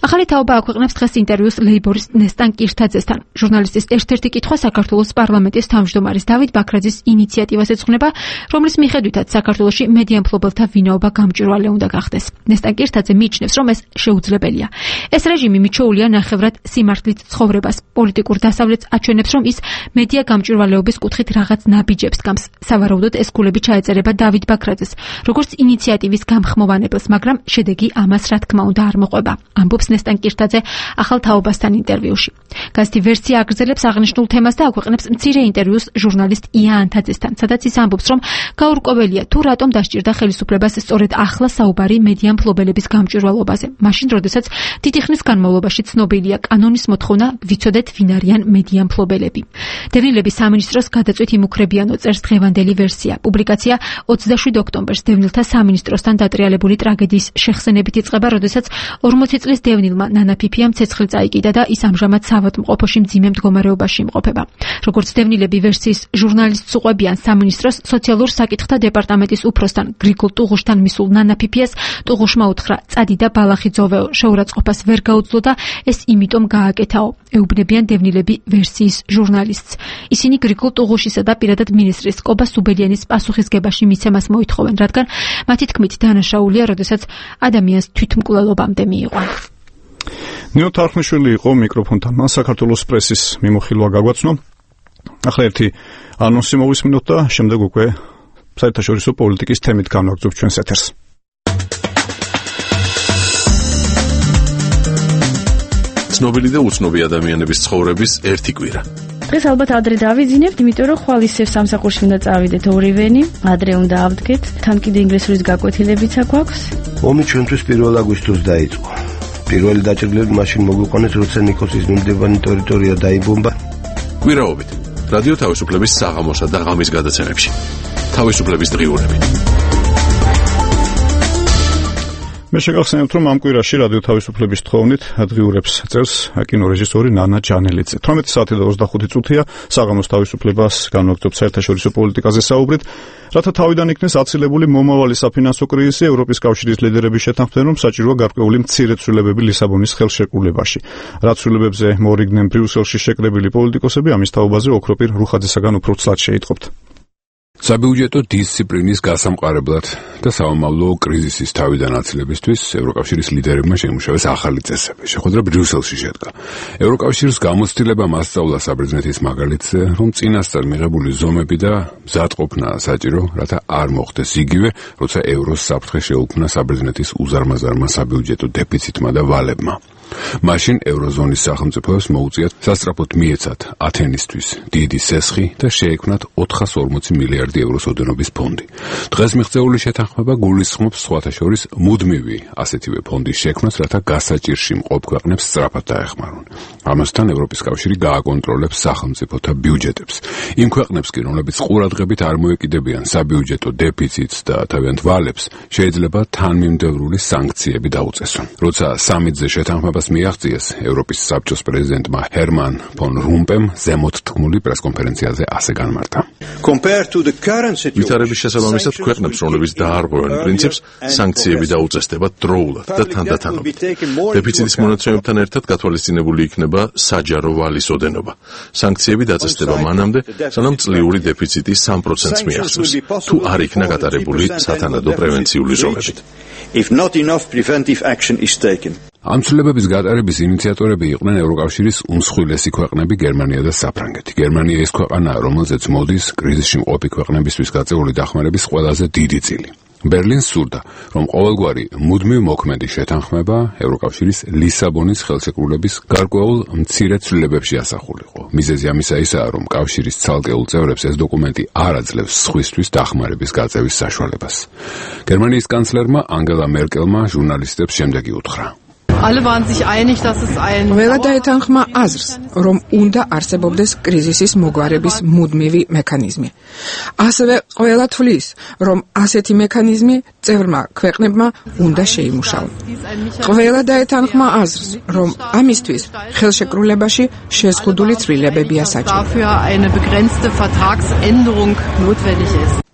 ახალი თაობა აქვეყნებს დღეს ინტერვიუს ლეიბორისტ ნესტან კირთაძესთან. ჟურნალისტის ერთ-ერთი კითხვა საქართველოს პარლამენტის თავმჯდომარის დავით ბაქრაძის ინიციატივას ეძღვნება, რომლის მიხედვითაც საქართველოში მედია მფლობელთა ვინაობა გამჭვირვალე უნდა გახდეს. ნესტან კირთაძე მიიჩნევს, რომ ეს შეუძლებელია. ეს რეჟიმი მიჩვეულია ნახევრად სიმართლით ცხოვრებას. პოლიტიკურ დასავლეთს აჩვენებს, რომ ის მედია გამჭვირვალეობის კუთხით რაღაც ნაბიჯებს გამს. სავარაუდოდ ეს ქულები ჩაეწერება დავით ბაქრაძეს, როგორც ინიციატივის გამხმოვანებელს, მაგრამ შედეგი ამას რა თქმა უნდა არ მოყვება. ამბობს ნესტან კირთაძე ახალ თაობასთან ინტერვიუში. გაზეთი ვერსია აგრძელებს აღნიშნულ თემას და აქვეყნებს მცირე ინტერვიუს ჟურნალისტ ია ანთაძესთან, სადაც ის ამბობს, რომ გაურკვეველია თუ რატომ დასჭირდა ხელისუფლებას სწორედ ახლა საუბარი მედია მფლობელების გამჭვირვალობაზე. მაშინ, როდესაც დიდი ხნის განმავლობაში ცნობილია კანონის მოთხოვნა ვიცოდეთ ვინ არიან მედია მფლობელები. დევნილების სამინისტროს გადაწვით იმუქრებიანო წერს დღევანდელი ვერსია. პუბლიკაცია ოცდაშვიდ ოქტომბერს დევნილთა სამინისტროსთან დატრიალებული ტრაგედიის შეხსენებით იწყება, როდესაც ორმოცი წლის დევნილმა ნანა ფიფიამ ცეცხლი წაიკიდა და ის ამჟამად საავადმყოფოში მძიმე მდგომარეობაში იმყოფება. როგორც დევნილები ვერსიის ჟურნალისტს უყვებიან, სამინისტროს სოციალურ საკითხთა დეპარტამენტის უფროსთან გრიგოლ ტუღუშთან მისულ ნანა ფიფიას ტუღუშმა უთხრა: "წადი და ბალახი ძოვეო, შეურაცხყოფას ვერ გაუძლო და ეს იმიტომ გააკეთაო", ეუბნებიან დევნილები ვერსიის ჟურნალისტს. ისინი გრიგოლ ტუღუშისა და პირადად მინისტრის კობა სუბელიანის პასუხისგებაში მიცემას მოითხოვენ, რადგან მათი თქმით დანაშაულია, როდესაც ადამიანს თვითმკვლელობამდე მიიყვანა. ნინო თარხნიშვილი იყო მიკროფონთან. მან საქართველოს პრესის მიმოხილვა გაგვაცნო. ახლა ერთი ანონსი მოვისმინოთ და შემდეგ უკვე საერთაშორისო პოლიტიკის თემით განვაგრძობთ ჩვენს ეთერს. ცნობილი და უცნობი ადამიანების ცხოვრების ერთი კვირა. დღეს ალბათ ადრე დავიძინებთ, იმიტომ რომ ხვალ ისევ სამსახურში უნდა წავიდეთ ორივენი, ადრე უნდა ავდგეთ, თან კიდე ინგლისურის გაკვეთილებიც აქვს. ომი ჩვენთვის პირველ აგვისტოს დაიწყო. პირველი დაჭრილები მაშინ მოგვიყვანეს, როცა ნიკოსის მიმდებარე ტერიტორია დაიბომბა. კვირაობით რადიო თავისუფლების საღამოსა და ღამის გადაცემებში. თავისუფლების დღიურები. მე შეგახსენებთ, რომ ამ კვირაში რადიო თავისუფლების თხოვნით დღიურებს წერს კინორეჟისორი ნანა ჯანელიძე. თორმეტი საათი და ოცდახუთი წუთია საღამოს თავისუფლებას განვაგრძობთ საერთაშორისო პოლიტიკაზე საუბრით, რათა თავიდან იქნეს აცილებული მომავალი საფინანსო კრიზისი. ევროპის კავშირის ლიდერები შეთანხმდნენ, რომ საჭიროა გარკვეული მცირე ცვლილებები ლისაბონის ხელშეკრულებაში. რაც ცვლილებებზე მორიგდნენ ბრიუსელში შეკრებილი პოლიტიკოსები, ამის თაობაზე ოქროპირ რუხაძესაგან უფრო ცლად შეიტყობთ. საბიუჯეტო დისციპლინის გასამყარებლად და სამომავლო კრიზისის თავიდან აცილებისთვის ევროკავშირის ლიდერებმა შეიმუშავეს ახალი წესები. შეხვედრა ბრიუსელში შედგა. ევროკავშირის გამოცდილებამ ასწავლა საბერძნეთის მაგალითზე, რომ წინასწარ მიღებული ზომები და მზადყოფნა საჭირო, რათა არ მოხდეს იგივე, როცა ევროს საფრთხე შეუქმნა საბერძნეთის უზარმაზარმა საბიუჯეტო დეფიციტმა და ვალებმა. მაშინ ევროზონის სახელმწიფოებს მოუწიათ სასწრაფოდ მიეცათ ათენისთვის დიდი სესხი და შეექმნათ ოთხას ორმოცი მილიარდი ევროს ოდენობის ფონდი. დღეს მიღწეული შეთანხმება გულისხმობს სხვათა შორის მუდმივი ასეთივე ფონდის შექმნას, რათა გასაჭირში მყოფ ქვეყნებს სწრაფად დაეხმარონ. ამასთან ევროპის კავშირი გააკონტროლებს სახელმწიფოთა ბიუჯეტებს. იმ ქვეყნებს კი, რომლებიც ყურადღებით არ მოეკიდებიან საბიუჯეტო დეფიციტს და თავიანთ ვალებს, შეიძლება თანმიმდევრული სანქციები დაუწესონ. როცა სამიტზე შეთანხმება მიაღწიეს, ევროპის საბჭოს პრეზიდენტმა ჰერმან ფონ რუმპემ ზემოთ თქმული პრესკონფერენციაზე ასე განმარტა. ვითარების შესაბამისად ქვეყნებს, რომლებიც დაარღვევენ პრინციპს, სანქციები დაუწესდება დროულად და თანდათანობით. დეფიციტის მონაცემებთან ერთად გათვალისწინებული იქნება საჯარო ვალის ოდენობა. სანქციები დაწესდება მანამდე, სანამ წლიური დეფიციტი სამ პროცენტს მიაღწევს, თუ არ იქნა გატარებული სათანადო პრევენციული ზომებით. ამ ცვლილებების გატარების ინიციატორები იყვნენ ევროკავშირის უმსხვილესი ქვეყნები გერმანია და საფრანგეთი. გერმანია ის ქვეყანაა, რომელზეც მოდის კრიზისში მყოფი ქვეყნებისთვის გაწეული დახმარების ყველაზე დიდი წილი. ბერლინს სურდა, რომ ყოველგვარი მუდმივ მოქმედი შეთანხმება ევროკავშირის ლისაბონის ხელშეკრულების გარკვეულ მცირე ცვლილებებში ასახულიყო. მიზეზი ამისა ისაა, რომ კავშირის ცალკეულ წევრებს ეს დოკუმენტი არ აძლევს სხვისთვის დახმარების გაწევის საშუალებას. გერმანიის კანცლერმა ანგელა მერკელმა ჟურნალისტებს შემდეგი უთხრა: ყველა დაეთანხმა აზრს, რომ უნდა არსებობდეს კრიზისის მოგვარების მუდმივი მექანიზმი. ასევე ყველა თვლის, რომ ასეთი მექანიზმი წევრმა ქვეყნებმა უნდა შეიმუშაონ. ყველა დაეთანხმა აზრს, რომ ამისთვის ხელშეკრულებაში შეზღუდული ცვლილებებია საჭირო.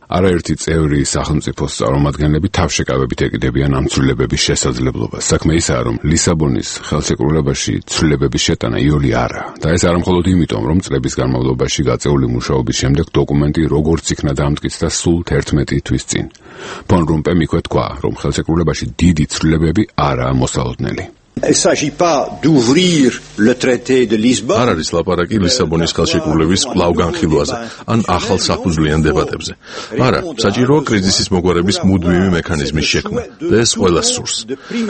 არაერთი წევრი სახელმწიფოს წარმომადგენლები თავშეკავებით ეკიდებიან ამ ცვლილებების შესაძლებლობას. საქმე ისაა, რომ ლისაბონის ხელშეკრულებაში ცვლილებების შეტანა იოლი არაა და ეს არა მხოლოდ იმიტომ, რომ წლების განმავლობაში გაწეული მუშაობის შემდეგ დოკუმენტი როგორც იქნა დამტკიცდა სულ თერთმეტი თვის წინ. ფონ რომპემ იქვე თქვა, რომ ხელშეკრულებაში დიდი ცვლილებები არაა მოსალოდნელი. Il ne s'agit pas d'ouvrir le traité de Lisbonne. არ არის ლაპარაკი ლისაბონის ხელშეკრულების კვლავ განხილვაზე ან ახალ საფუძვლიან დებატებზე. არა, საჭიროა კრიზისის მოგვარების მუდმივი მექანიზმის შექმნა და ეს ყველას სურს.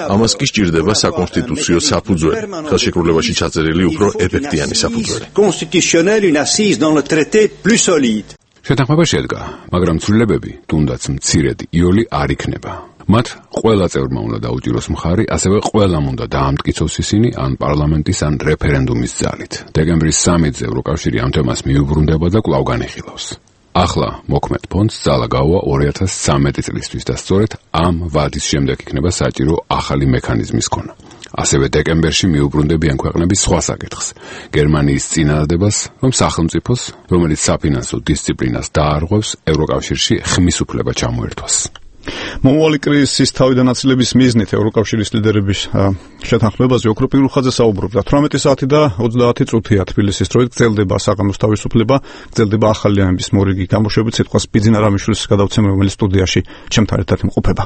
ამას კი სჭირდება საკონსტიტუციო საფუძველი, ხელშეკრულებაში ჩაწერილი უფრო ეფექტიანი საფუძველი. Constitutionnel, une assise dans le traité plus solide. შეთანხმება შედგა, მაგრამ ცვლილებები, თუნდაც მცირედი, იოლი არ იქნება. მათ ყველა წევრმა უნდა დაუჭიროს მხარი, ასევე ყველამ უნდა დაამტკიცოს ისინი ან პარლამენტის ან რეფერენდუმის ძალით. დეკემბრის სამედზე ევროკავშირი ამ თემას მიუბრუნდება და კვლავ განიხილავს. ახლა მოქმედ ფონდს ძალა გაუვა ორი ათას ცხრამეტი წლისთვის და სწორედ ამ ვადის შემდეგ იქნება საჭირო ახალი მექანიზმის ქონა. ასევე დეკემბერში მიუბრუნდებიან ქვეყნები სხვა საკითხს, გერმანიის წინადადებას, რომ სახელმწიფოს, რომელიც საფინანსო დისციპლინას დაარღვევს, ევროკავშირში ხმის უფლება ჩამოერთვას. მომავალი კრიზისის თავიდანაცილების მიზნით ევროკავშირის ლიდერების შეთანხმებაზე ოქროპი რუხაძე საუბრობდა. თვრამეტი საათი და ოცდაათი წუთია თბილისის დროით გრძელდება საღამოს თავისუფლება, გრძელდება ახალი ამბის მორიგი გამოშვებით სიტყვას ბიძინა რამიშვილის გადავცემ, რომელიც სტუდიაში ჩემთან ერთად იმყოფება.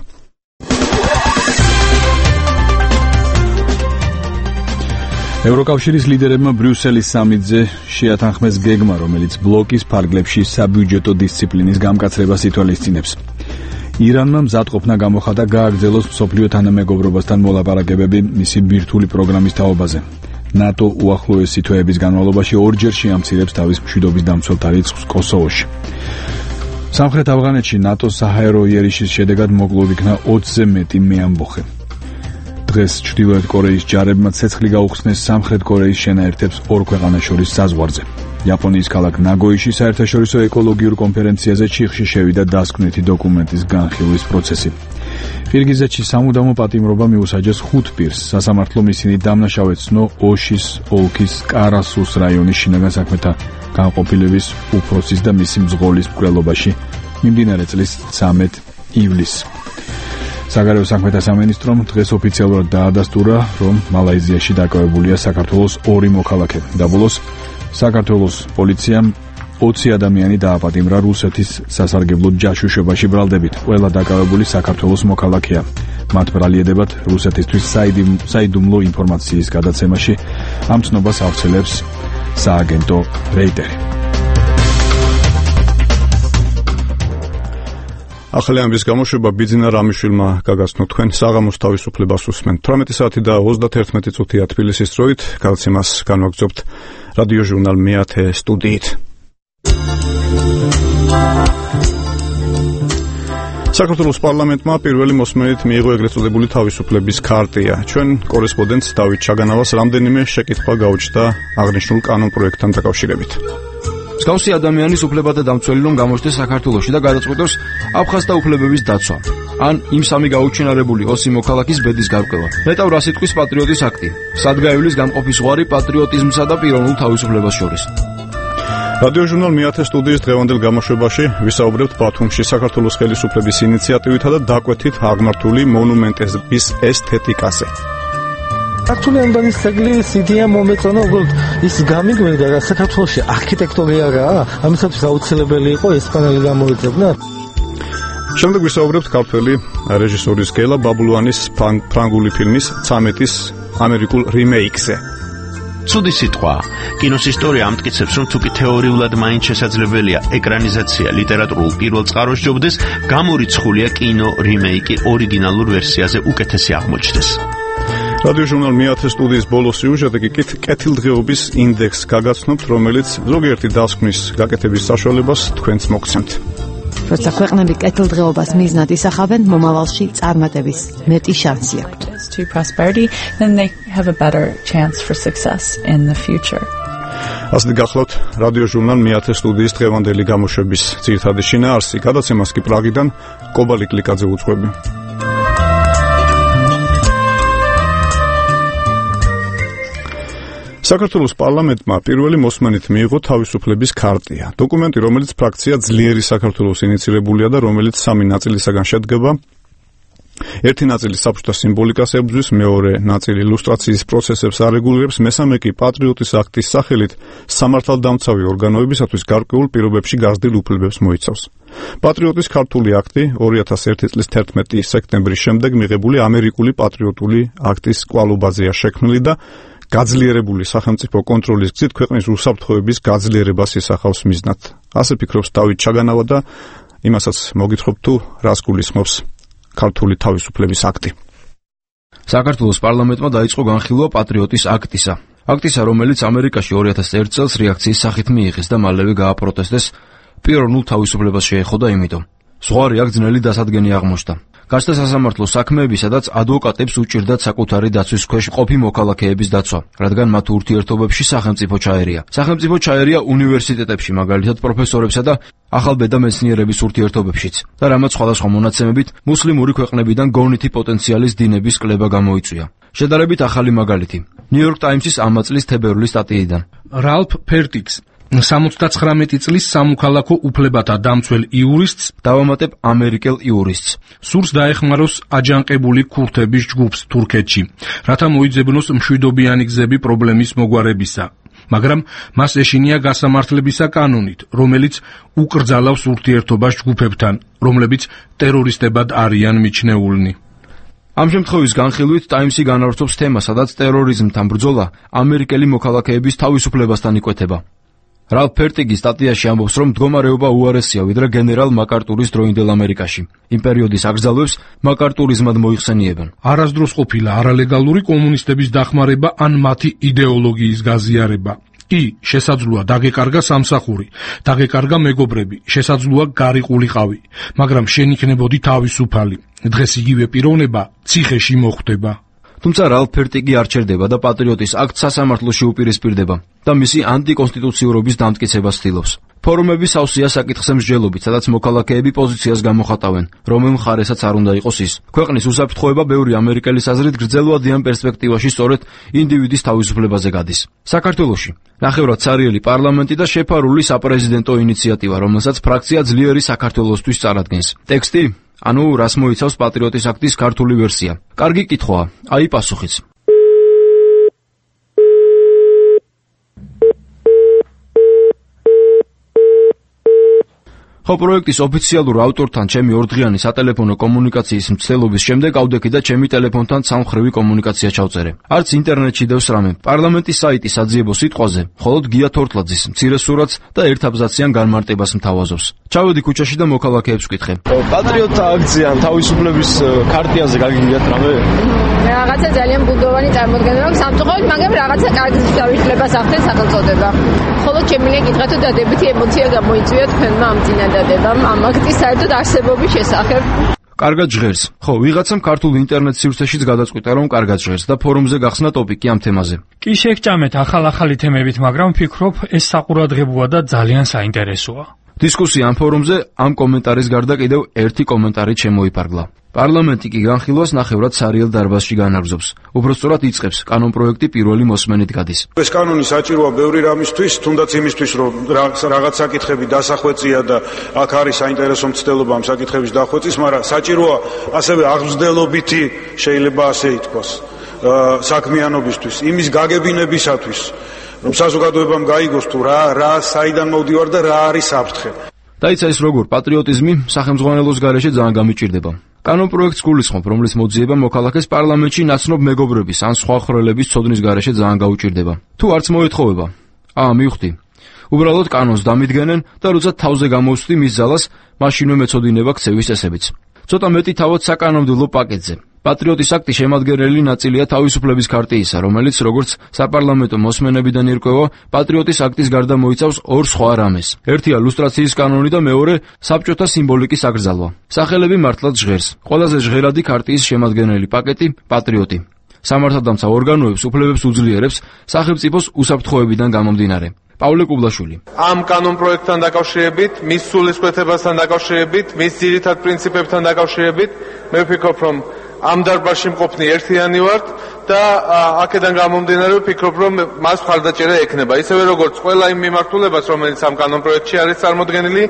ევროკავშირის ლიდერებმა ბრიუსელის სამიტზე შეათანხმეს გეგმა, რომელიც ბლოკის ფარგლებში საბიუჯეტო დისციპლინის გამკაცრებას ითვალისწინებს. ირანმა მზადყოფნა გამოხატა გააგრძელოს მსოფლიო თანამეგობრობასთან მოლაპარაკებები მისი ბირთვული პროგრამის თაობაზე. ნატო უახლოესი თვეების განმავლობაში ორჯერ შეამცირებს თავის მშვიდობის დამცველთა რიცხვს კოსოვოში. სამხრეთ ავღანეთში ნატოს საჰაერო იერიშის შედეგად მოკლულ იქნა ოცზე მეტი მეამბოხე. დღეს ჩრდილოეთ კორეის ჯარებმა ცეცხლი გაუხსნეს სამხრეთ კორეის შენაერთებს ორ ქვეყანას შორის საზღვარზე. იაპონიის ქალაქ ნაგოიში საერთაშორისო ეკოლოგიურ კონფერენციაზე ჩიხში შევიდა დასკვნითი დოკუმენტის განხილვის პროცესი. ყირგიზეთში სამუდამო პატიმრობა მიუსაჯეს ხუთ პირს. სასამართლომ ისინი დამნაშავედ ცნო ოშის ოლქის კარასუს რაიონის შინაგან საქმეთა განყოფილების უფროსის და მისი მძღოლის მკვლელობაში მიმდინარე წლის ცამეტ ივლისს. საგარეო საქმეთა სამინისტრომ დღეს ოფიციალურად დაადასტურა, რომ მალაიზიაში დაკავებულია საქართველოს ორი მოქალაქე. დაბოლოს საქართველოს პოლიციამ ოცი ადამიანი დააპატიმრა რუსეთის სასარგებლო ჯაშუშობაში ბრალდებით. ყველა დაკავებული საქართველოს მოქალაქეა. მათ ბრალieდებად რუსეთისთვის საიდუმლო ინფორმაციის გადაცემაში ამ ცნობას ავრცელებს სააგენტო რეიტერი. ახალი ამბის გამოშვება ბიძინა რამიშვილმა გაგაცნო. თქვენ საღამოს თავისუფლებას უსმენთ. თვრამეტი საათი და ოცდათერთმეტი წუთია თბილისის დროით. გადაცემას განვაგრძობთ რადიო ჟურნალ მეათე სტუდიით. საქართველოს პარლამენტმა პირველი მოსმენით მიიღო ეგრეთ წოდებული თავისუფლების ქარტია. ჩვენ კორესპონდენტ დავით ჩაგანავას რამდენიმე შეკითხვა გაუჩნდა აღნიშნულ კანონპროექტთან დაკავშირებით. მსგავსი ადამიანის უფლებათა დამცველი რომ გამოჩნდეს საქართველოში და გადაწყვეტოს აფხაზთა უფლებების დაცვა. ან იმ სამი გაუჩინარებული ოსი მოქალაქის ბედის გარკვევა. ნეტავ რა სიტყვის პატრიოტის აქტი. სადგაივლის გამყოფის ზღვარი პატრიოტიზმსა და პიროვნულ თავისუფლებას შორის. რადიო ჟურნალ მეათე სტუდიის დღევანდელ გამოშვებაში ვისაუბრებთ ბათუმში საქართველოს ხელისუფლების ინიციატივითა და დაკვეთით აღმართული მონუმენტების ესთეტიკაზე. ქართული ანბანის ძეგლის იდეა მომეწონა, უბრალოდ ის გამიგვედა, რა საქართველოში არქიტექტურა რაა, ამისათვის აუცილებელი იყო ესპანელი გამოეძებნა. შემდეგ ვისაუბრებთ ქართველი რეჟისორის გელა ბაბულოვანის ფრანგული ფილმის ცამეტის ამერიკულ რიმეიქზე. ცუდი სიტყვა. კინოს ისტორია ამტკიცებს, რომ თუკი თეორიულად მაინც შესაძლებელია ეკრანიზაცია ლიტერატურულ პირველ წყაროს ჯობდეს, გამორიცხულია კინო რიმეიკი ორიგინალურ ვერსიაზე უკეთესი აღმოჩნდეს. რადიო ჟურნალ მეათე სტუდიის ბოლო სიუჟეტი კი კეთილდღეობის ინდექსს გაგაცნობთ, რომელიც ზოგიერთი დასკვნის გაკეთების საშუალებას თქვენც მოგცემთ. როცა ქვეყნები კეთილდღეობას მიზნად ისახავენ, მომავალში წარმატების მეტი შანსი აქვთ. To prosperity, then they have a better chance for success in the future. ასეთი გახლავთ რადიო ჟურნალ მეათე სტუდიის დღევანდელი გამოშვების ძირითადი შინაარსი. გადაცემას კი პრაღიდან კობალი კლიკაძე უძღვები. საქართველოს პარლამენტმა პირველი მოსმენით მიიღო თავისუფლების ქარტია. დოკუმენტი, რომელიც ფრაქცია ძლიერი საქართველოს ინიცირებულია და რომელიც სამი ნაწილისაგან შედგება. ერთი ნაწილი საბჭოთა სიმბოლიკას ებრძვის, მეორე ნაწილი ილუსტრაციის პროცესებს არეგულირებს, მესამე კი პატრიოტის აქტის სახელით სამართალდამცავი ორგანოებისათვის გარკვეულ პირობებში გაზრდილ უფლებებს მოიცავს. პატრიოტის ქართული აქტი ორი ათას ერთი წლის თერთმეტი სექტემბრის შემდეგ მიღებული ამერიკული პატრიოტული აქტის კვალობაზეა შექმნილი და გაძლიერებული სახელმწიფო კონტროლის გზით ქვეყნის უსაფრთხოების გაძლიერებას ისახავს მიზნად. ასე ფიქრობს დავით ჩაგანავა და იმასაც მოგითხრობ თუ რას გულისხმობს ქართული თავისუფლების აქტი. საქართველოს პარლამენტმა დაიწყო განხილვა პატრიოტის აქტისა. აქტისა, რომელიც ამერიკაში ორი ათას ერთი წელს რეაქციის სახით მიიღეს და მალევე გააპროტესტეს, პიროვნულ თავისუფლებას შეეხოდა იმიტომ. ზღვარი აქ ძნელი დასადგენი აღმოჩნდა. გაჩნდა სასამართლო საქმეები, სადაც ადვოკატებს უჭირდათ საკუთარი დაცვის ქვეშ მყოფი მოქალაქეების დაცვა, რადგან მათ ურთიერთობებში სახელმწიფო ჩაერია. სახელმწიფო ჩაერია უნივერსიტეტებში, მაგალითად პროფესორებსა და ახალბედა მეცნიერების ურთიერთობებშიც და რამაც სხვადასხვა მონაცემებით მუსლიმური ქვეყნებიდან გონითი პოტენციალის დინების კლება გამოიწვია. შედარებით ახალი მაგალითი ნიუ-იორკ ტაიმსის ამ წლის თებერვლის სტატიიდან. რალფ ფერტიქს სამოცდაცხრამეტი წლის სამოქალაქო უფლებათა დამცველ იურისტს დავამატებ ამერიკელ იურისტს სურს დაეხმაროს აჯანყებული ქურთების ჯგუფს თურქეთში, რათა მოიძებნოს მშვიდობიანი გზები პრობლემის მოგვარებისა. მაგრამ მას ეშინია გასამართლებისა კანონით, რომელიც უკრძალავს ურთიერთობას ჯგუფებთან, რომლებიც ტერორისტებად არიან მიჩნეულნი. ამ შემთხვევის განხილვით ტაიმსი განავრცობს თემას, სადაც ტერორიზმთან ბრძოლა ამერიკელი მოქალაქეების თავისუფლებასთან იკვეთება. რალფ ფერტიგის სტატიაში ამბობს, რომ მდგომარეობა უარესია ვიდრე გენერალ მაკარტურის დროინდელ ამერიკაში. იმ პერიოდის აკრძალვებს მაკარტურიზმად მოიხსენიებენ. არასდროს ყოფილა არალეგალური კომუნისტების დახმარება ან მათი იდეოლოგიის გაზიარება. კი, შესაძლოა დაგეკარგა სამსახური, დაგეკარგა მეგობრები, შესაძლოა გარიყულიყავი, მაგრამ შენ იქნებოდი თავისუფალი. დღეს იგივე პიროვნება ციხეში მოხვდება. თუმცა რალფ ფერტიგი არ ჩერდება და პატრიოტის აქტს სასამართლოში უპირისპირდება და მისი ანტიკონსტიტუციურობის დამტკიცებას ცდილობს. ფორუმები სავსეა საკითხზე მსჯელობით, სადაც მოქალაქეები პოზიციას გამოხატავენ, რომელ მხარესაც არ უნდა იყოს ის. ქვეყნის უსაფრთხოება ბევრი ამერიკელის აზრით გრძელვადიან პერსპექტივაში სწორედ ინდივიდის თავისუფლებაზე გადის. საქართველოში ნახევრად ცარიელი პარლამენტი და შეფარული საპრეზიდენტო ინიციატივა, რომელსაც ფრაქცია ძლიერი საქართველოსთვის წარადგენს. ტექსტი ანუ რას მოიცავს პატრიოტის აქტის ქართული ვერსია. კარგი კითხვაა, აი პასუხიც. ხო, პროექტის ოფიციალურ ავტორთან ჩემი ორდღიანი სატელეფონო კომუნიკაციის მცდელობის შემდეგ ავდექი და ჩემი ტელეფონთან სამმხრივი კომუნიკაცია ჩავწერე. არც ინტერნეტში დევს რამე. პარლამენტის საიტის საძიებო სიტყვაზე მხოლოდ გია თორთლაძის მცირე სურათს და ერთ აბზაციან განმარტებას მთავაზობს. ჩავედი ქუჩაში და მოქალაქეებს ვკითხე. პატრიოტთა აქციან თავისუფლების ქარტიაზე გაგიგიათ რამე? რაღაცა ძალიან ბუნდოვანი წარმოდგენა აქვს სამწუხაროდ, მაგრამ რაღაცა კარგი თავისუფლებას ახდენს სახელწოდება. მხოლოდ შემიძლია გითხრათ, რომ დადებითი ემოცია გამოიწვია თქვენმა ამ წინადადებამ ამ აქტის საერთოდ არსებობის შესახებ. კარგად ჟღერს. ხო, ვიღაცამ ქართულ ინტერნეტ სივრცეშიც გადაწყვიტა, რომ კარგად ჟღერს და ფორუმზე გახსნა ტოპიკი ამ თემაზე. კი შეგჭამეთ ახალ-ახალი თემებით, მაგრამ ვფიქრობ, ეს საყურადღებოა და ძალიან საინტერესოა. დისკუსია ამ ფორუმზე ამ კომენტარის გარდა კიდევ ერთი კომენტარი შემოიფარგლა. პარლამენტი კი განხილვას ნახევრად ცარიელ დარბაზში განაგრძობს. უბრალოდ იწყებს, კანონპროექტი პირველი მოსმენით გადის. ეს კანონი საჭიროა ბევრი რამისთვის, თუნდაც იმისთვის, რომ რაღაც საკითხები დასახვეწია და აქ არის საინტერესო მცდელობა ამ საკითხების დახვეწის, მაგრამ საჭიროა ასევე აღმზრდელობითი, შეიძლება ასე ითქვას, საქმიანობისთვის, იმის გაგებინებისათვის, რომ საზოგადოებამ გაიგოს თუ რა რა საიდან მოვდივარ და რა არის საფრთხე. დაიცა ის როგორ პატრიოტიზმი სახელმძღვანელოს გარეშე ძალიან გამიჭირდება. კანონპროექტს გულისხმობ, რომლის მოძიება მოქალაქეს პარლამენტში ნაცნობ მეგობრების ან სხვა ხრელების ცოდნის გარეშე ძალიან გაუჭირდება. თუ არც მოეთხოვება, აა მივხვდი. უბრალოდ კანონს დამიდგენენ და როცა თავზე გამოვსვდი მის ძალას, მაშინვე მეწოდინება ქცევის წესებიც. ცოტა მეტი თავად საკანონმდებლო პაკეტზე. პატრიოტის აქტი შემადგენელი ნაწილია თავისუფლების ქარტიისა, რომელიც როგორც საპარლამენტო მოსმენებიდან ირკვევა, პატრიოტის აქტის გარდა მოიცავს ორ სხვა რამეს. ერთია ლუსტრაციის კანონი და მეორე საბჭოთა სიმბოლიკის აკრძალვა. სახელები მართლაც ჟღერს. ყველაზე ჟღერადი ქარტიის შემადგენელი პაკეტი პატრიოტი. სამართალდამცავ ორგანოებს უფლებებს უძლიერებს სახელმწიფოს უსაფრთხოებიდან გამომდინარე. პავლე კუბლაშვილი. ამ კანონპროექტთან დაკავშირებით, მის სულისკვეთებასთან დაკავშირებით, მის ძირითად პრინციპებთან დაკავშირებით, მე ვფიქრობ, რომ ამ დარბაზში მყოფნი ერთიანი ვართ და აქედან გამომდინარე ვფიქრობ, რომ მას მხარდაჭერა ექნება. ისევე როგორც ყველა იმ მიმართულებას, რომელიც ამ კანონპროექტში არის წარმოდგენილი,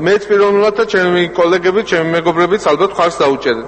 მეც პიროვნულად და ჩემი კოლეგები, ჩემი მეგობრებიც ალბათ მხარს დაუჭერენ.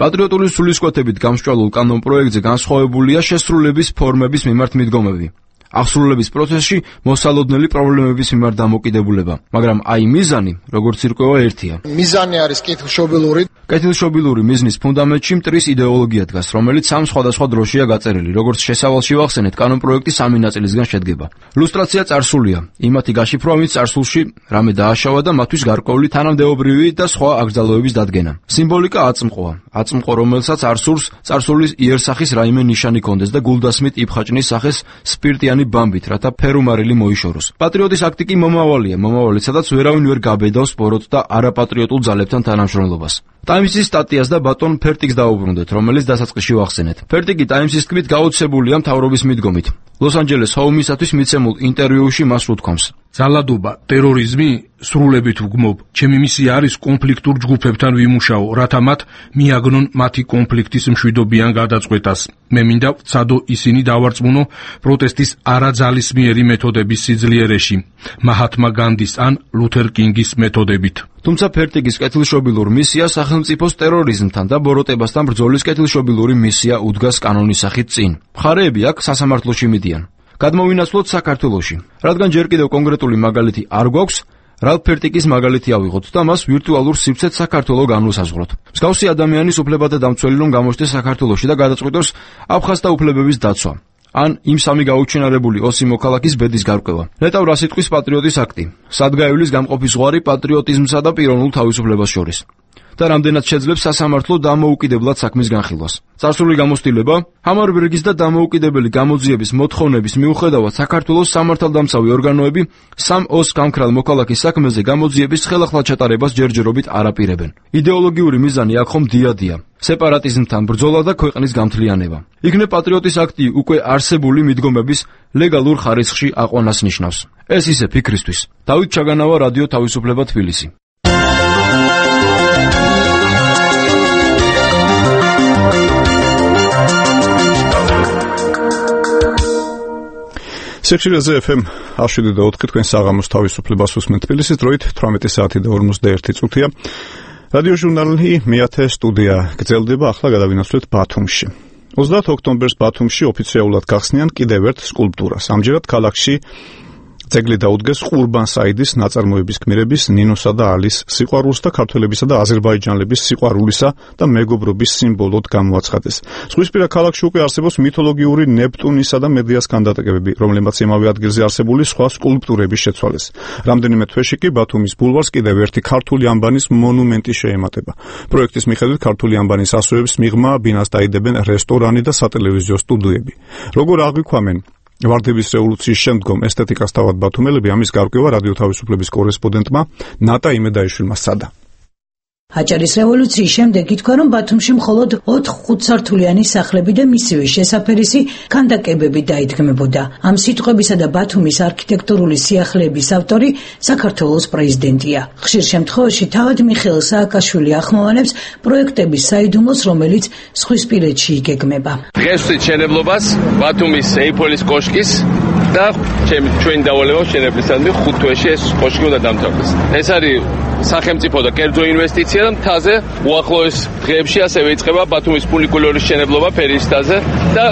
პატრიოტული სულისკვეთებით გამსჭვალულ კანონპროექტზე განსხვავებულია შესრულების ფორმების მიმართ მიდგომები. აღსრულების პროცესში მოსალოდნელი პრობლემების მიმართ დამოკიდებულება, მაგრამ აი მიზანი, როგორც ირკვევა, ერთია. მიზანი არის კეთილშობილური. კეთილშობილური მიზნის ფუნდამენტში მტრის იდეოლოგია დგას, რომელიც სამ სხვადასხვა დროშია გაწერილი, როგორც შესავალში ვახსენეთ, კანონპროექტი სამი ნაწილისგან შედგება. ლუსტრაცია წარსულია, იმათი გაშიფრვა, ვინც წარსულში რამე დააშავა და მათთვის გარკვეული თანამდებობრივი და სხვა აკრძალვების დადგენა. სიმბოლიკა აწმყოა, აწმყო, რომელსაც არ სურს წარსულის იერსახის რაიმე ნიშანი კონდეს და გულდასმით იფხაჭნის სახეს სპირტიანი ბამბით, რათა ფერუმარილი მოიშოროს. პატრიოტის აქტი კი მომავალია, მომავალი, სადაც ვერავინ ვერ გაბედავს პოროტ და არაპატრიოტულ ძალებთან თანამშრომლობას. ტაიმსის სტატიას და ბატონ ფერტიგს დაუბრუნდეთ, რომელიც დასაწყისში ვახსენეთ. ფერტიგი ტაიმსის თქმით გაოცებულია მთავრობის მიდგომით. ლოს-ანჯელეს ჰოუმისათვის მიცემულ ინტერვიუში მას უთქვამს: ძალადობა, ტერორიზმი სრულებით ვგმობ. ჩემი მისია არის კონფლიქტურ ჯგუფებთან ვიმუშაო, რათა მათ მიაგნონ მათი კონფლიქტის მშვიდობიან გადაწყვეტას. მე მინდა ვცადო ისინი დავარწმუნო პროტესტის არაძალისმიერი მეთოდების სიძლიერეში, მაჰათმა განდის ან ლუთერ კინგის მეთოდებით. თუმცა ფერტიგის კეთილშობილურ მისიას სახელმწიფოს ტერორიზმთან და ბოროტებასთან ბრძოლის კეთილშობილური მისია უდგას კანონის სახით წინ. მხარეები აქ სასამართლოში მიდიან. გადმოვინაცვლოთ საქართველოში. რადგან ჯერ კიდევ კონკრეტული მაგალითი არ გვაქვს, რალფ ფერტიგის მაგალითი ავიღოთ და მას ვირტუალურ სივრცეც საქართველოს განვსაზღვროთ. მსგავსი ადამიანის უფლებათა დამცველი რომ გამოჩნდეს საქართველოში და გადაწყვიტოს აფხაზთა უფლებების დაცვა. ან იმ სამი გაუჩინარებული ოსი მოქალაქის ბედის გარკვევა. ნეტავ რა სიტყვის პატრიოტის აქტი, სადგაივლის გამყოფი ზღვარი პატრიოტიზმსა და პიროვნულ თავისუფლებას შორის. და რამდენად შეძლებს სასამართლო დამოუკიდებლად საქმის განხილვას. წარსული გამოცდილება, ჰამარბერგის და დამოუკიდებელი გამოძიების მოთხოვნების მიუხედავად საქართველოს სამართალდამცავი ორგანოები სამ ოს გამქრალ მოქალაქის საქმეზე გამოძიების ხელახლა ჩატარებას ჯერჯერობით არ აპირებენ. იდეოლოგიური მიზანი აქ ხომ დიადია. სეპარატიზმთან ბრძოლა და ქვეყნის გამთლიანება. იქნებ პატრიოტის აქტი უკვე არსებული მიდგომების ლეგალურ ხარისხში აყვანას ნიშნავს. ეს ისე ფიქრისთვის. დავით ჩაგანავა, რადიო თავისუფლება, თბილისი. სექციაზე ეფ ემ one oh seven point four თქვენ საღამოს თავისუფლებას უსმენთ თბილისის დროით თვრამეტი საათი და ორმოცდაერთი წუთია. რადიო ჟურნალი მეათე სტუდია გრძელდება, ახლა გადავინაცვლეთ ბათუმში. ოცდაათ ოქტომბერს ბათუმში ოფიციალურად გახსნიან კიდევ ერთ სკულპტურას. ამჯერად ქალაქში ძეგლი დაუდგეს ყურბან საიდის ნაწარმოების გმირების ნინოსა და ალის სიყვარულს და ქართველებისა და აზერბაიჯანელების სიყვარულისა და მეგობრობის სიმბოლოდ გამოაცხადეს. ზღვისპირა ქალაქში უკვე არსებობს მითოლოგიური ნეპტუნისა და მედეას ქანდაკებები, რომლებმაც იმავე ადგილზე არსებული სხვა სკულპტურების შეცვალეს. რამდენიმე თვეში კი ბათუმის ბულვარს კიდევ ერთი ქართული ანბანის მონუმენტი შეემატება. პროექტის მიხედვით ქართული ანბანის ასოებს მიღმა ბინას დაიდებენ რესტორანი და სატელევიზიო სტუდიები. როგორ აღვიქვამენ ვარდების რევოლუციის შემდგომ ესთეტიკას თავად ბათუმელები, ამის გარკვევა რადიო თავისუფლების კორესპონდენტმა ნატა იმედაიშვილმა სცადა. აჭარის რევოლუციის შემდეგ ითქვა, რომ ბათუმში მხოლოდ ოთხ ხუთსართულიანი სახლები და მისივე შესაფერისი ქანდაკებები დაიდგმებოდა. ამ სიტყვებისა და ბათუმის არქიტექტურული სიახლეების ავტორი საქართველოს პრეზიდენტია. ხშირ შემთხვევაში თავად მიხეილ სააკაშვილი ახმოვანებს პროექტების საიდუმლოს, რომელიც ზღვისპირეთში იგეგმება. დღეს ვწვით მშენებლობას ბათუმის ეიფოლის კოშკის და ჩვენი დავალება მშენებლისადმი ხუთ თვეში ეს კოშკი უნდა დამთავრდეს. ეს არის სახელმწიფო და კერძო ინვესტიცია და მთაზე უახლოეს დღეებში ასევე იწყება ბათუმის ფუნიკულორის მშენებლობა ფერისთაზე და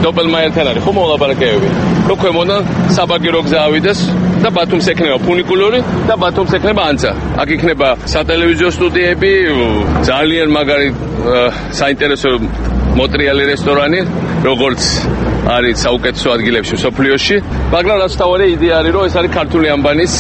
დოპელმაიერთან არის ხო მოლაპარაკებები. რო ქვემოდან საბაგირო გზა ავიდეს და ბათუმს ექნება ფუნიკულორი და ბათუმს ექნება ანცა. აქ იქნება სატელევიზიო სტუდიები, ძალიან მაგარი საინტერესო მოტრიალი რესტორანი, როგორც არის საუკეთესო ადგილებში სოფლიოში, მაგრამ რაც თავარი იდეა არის, რომ ეს არის ქართული ანბანის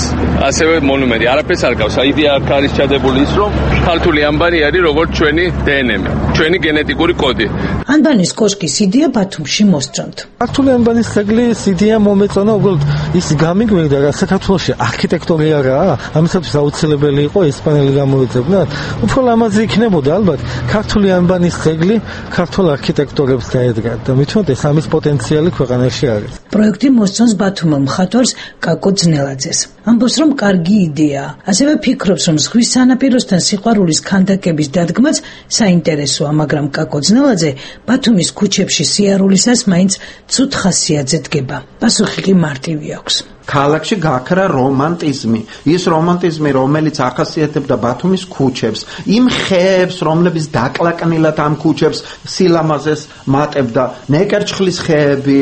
ასევე მონუმენტი. არაფერს არ გავს. იდეა აქ არის ჩადებული ის, რომ ქართული ანბანი არის როგორც ჩვენი დე ენ ემ, ჩვენი გენეტიკური კოდი. ანბანის კოშკის იდეა ბათუმში მოსწონთ. ქართული ანბანის ძეგლის იდეა მომეწონა, უბრალოდ ის გამიგვიგდა, რა საქართველოში არქიტექტურა არაა, ამისათვის აუცილებელი იყო ესპანელი გამოეძებნათ. უფრო ლამაზი იქნებოდა ალბათ ქართული ანბანის ძეგლი ქართულ არქიტექტორებს დაედგათ და მithunot ეს ამის პოტენციალი ქვეყანაში არის. პროექტი მოსწონს ბათუმელ მხატვარს კაკო ძნელაძეს. ამბობს, რომ კარგი იდეაა. ასევე ფიქრობს, რომ ზღვის სანაპიროსთან სიყვარულის ქანდაკების დადგმაც საინტერესოა, მაგრამ კაკო ძნელაძე ბათუმის ქუჩებში სიარულისას მაინც ცუდ ხასიათზე დგება. პასუხი კი მარტივი აქვს. ქალაქში გაქრა რომანტიზმი, ის რომანტიზმი, რომელიც ახასიათებდა ბათუმის ქუჩებს, იმ ხეებს, რომლებიც დაკლაკნილად ამ ქუჩებს სილამაზეს მატებდა, ნეკერჩხლის ხეები,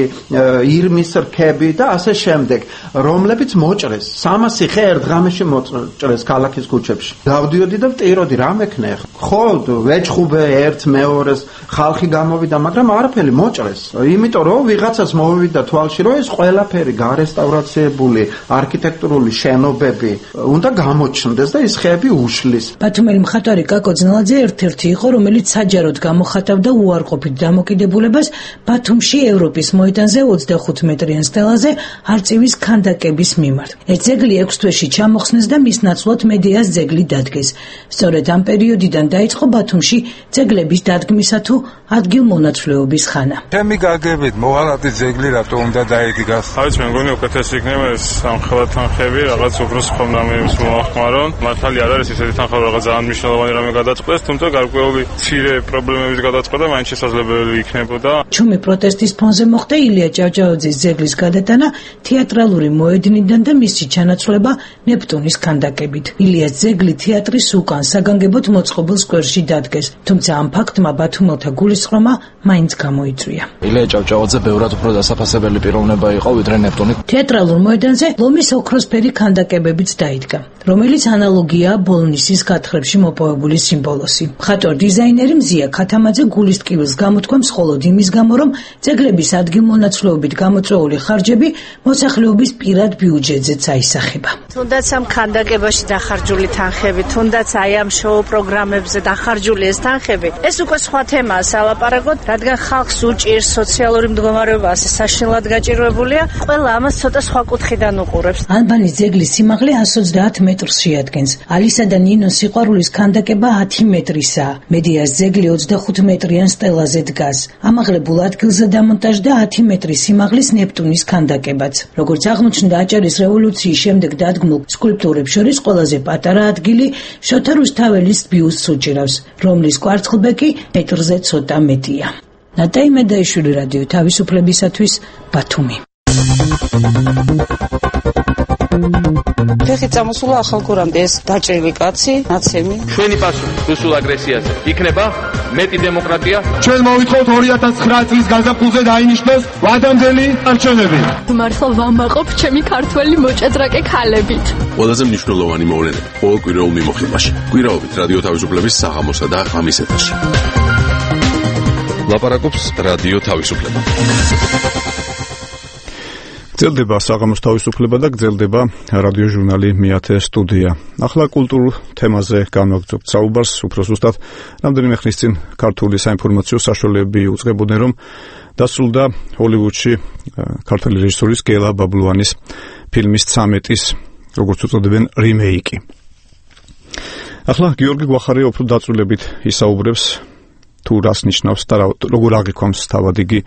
ირმის რქები და ასე შემდეგ, რომლებიც მოჭრეს. სამასი ხე ერთ ღამეში მოჭრეს ქალაქის ქუჩებში. დავდიოდი და ვტიროდი, რა მექნე ხა? ხო, ვეჭხუბე ერთ მეორეს, ხალხი გამოვიდა, მაგრამ არაფერი მოჭრეს. იმიტომ რომ ვიღაცას მოვივიდა თვალში, რომ ეს ყველაფერი გარესტავრაციები არქიტექტურული შენობები უნდა გამოჩნდეს და ის ხეები უშლის. ბათუმელი მხატვარი კაკო ძნელაძე ერთ-ერთი იყო, რომელიც საჯაროდ გამოხატავდა უარყოფით დამოკიდებულებას ბათუმში ევროპის მოედანზე ოცდახუთ მეტრიან სტელაზე არწივის ქანდაკების მიმართ. ეს ძეგლი ექვს თვეში ჩამოხსნეს და მის ნაცვლად მედეას ძეგლი დადგეს. სწორედ ამ პერიოდიდან დაიწყო ბათუმში ძეგლების დადგმისა თუ ადგილმონაცვლეობის ხანა. ჩემი გაგებით მოვალადი ძეგლი რატო უნდა დაიდგას? არის მე მგონი უკეთესი იქნება ეს სამხელად თანხები რაღაც უფრო სხვა რამეებს მოახმარონ. მართალი არ არის ესეთი თანხები რაღაც ძალიან მნიშვნელოვანი რამე გადაწყვეტს, თუმცა გარკვეული მცირე პრობლემების გადაწყვეტა მაინც შესაძლებელი იქნებოდა. ჩუმი პროტესტის ფონზე მოხდა ილია ჭავჭავაძის ძეგლის გადატანა თეატრალური მოედნიდან და მისი ჩანაცვლება ნეპტუნის ქანდაკებით. ილიას ძეგლი თეატრის უკან საგანგებოდ მოწყობილ სკვერში დადგეს, თუმცა ამ ფაქტმა ბათუმელთა გულისწყრომა მაინც გამოიწვია. ილია ჭავჭავაძე ბევრად უფრო დასაფასებელი პიროვნება იყო ვიდრე ნეპტუნი. თეატრალურ მოედანზე ლომის ოქროსფერი ქანდაკებებიც დაიდგა, რომელიც ანალოგია ბოლნისის გათხრებში მოპოვებული სიმბოლოსი. მხატვარ დიზაინერი მზია ქათამაძე გულის ტკივილს გამოთქვამს მხოლოდ იმის გამო, რომ ძეგლების ადგილმონაცვლეობით გამოწვეული ხარჯები მოსახლეობის პირად ბიუჯეტზეც აისახება. თუნდაც ამ ქანდაკებაში დახარჯული თანხები, თუნდაც აი ამ შოუ პროგრამებზე დახარჯული ეს თანხები, ეს უკვე სხვა თემაა სალაპარაკოდ, რადგან ხალხს უჭირს სოციალური მდგომარეობა ასე საშინლად გაჭირვებულია, ყველა ამას ცოტა სხვა კუთხიდან უყურებს. ალბანის ძეგლის სიმაღლე εκατს ოცდაათ მეტრს შეადგენს. ალისა და ნინოს სიყვარულის ქანდაკება ათი მეტრისაა. მედეას ძეგლი ოცდახუთ მეტრიან სტელაზე დგას. ამაღლებულ ადგილზე დამონტაჟდა ათი მეტრის სიმაღლის ნეპტუნის ქანდაკებაც. როგორც აღმოჩნდა აჭარის რევოლუციის შემდეგ დადგმულ სკულპტურებს შორის ყველაზე პატარა ადგილი შოთა რუსთაველის ბიუსტს უჭირავს, რომლის კვარცხლბეკი მეტრზე ცოტა მეტია. ნატაი მედაიშვილი, რადიო თავისუფლებისათვის, ბათუმი. ფეხი წამოსულა ახალგურამდე ეს დაჭრილი კაცი, ნაცემი. ჩვენი პასუხი რუსულ აგრესიაზე იქნება მეტი დემოკრატია. ჩვენ მოვითხოვთ ორი ათას ცხრა წლის გაზაფხულზე დაინიშნოს ვადამდელი არჩევნები. მართლა ვამაყობ ჩემი ქართველი მოჭადრაკე ქალებით. ყველაზე მნიშვნელოვანი მოვლენები ყოველ კვირაულ მიმოხილვაში. კვირაობით რადიო თავისუფლების საღამოსა და ღამის ეთერში. ლაპარაკობს რადიო თავისუფლება. გრძელდება საღამოს თავისუფლება და გრძელდება რადიო ჟურნალი მეათე სტუდია. ახლა კულტურულ თემაზე განვაგრძობთ საუბარს, უფრო ზუსტად რამდენიმე ხნის წინ ქართული საინფორმაციო საშუალებები უწყებოდნენ, რომ დასრულდა ჰოლივუდში ქართველი რეჟისორის გელა ბაბლუანის ფილმის ცამეტის, როგორც უწოდებენ, რიმეიკი. ახლა გიორგი გვახარია უფრო დაწვრილებით ისაუბრებს თუ რას ნიშნავს და როგორ აღიქვამს თავად იგი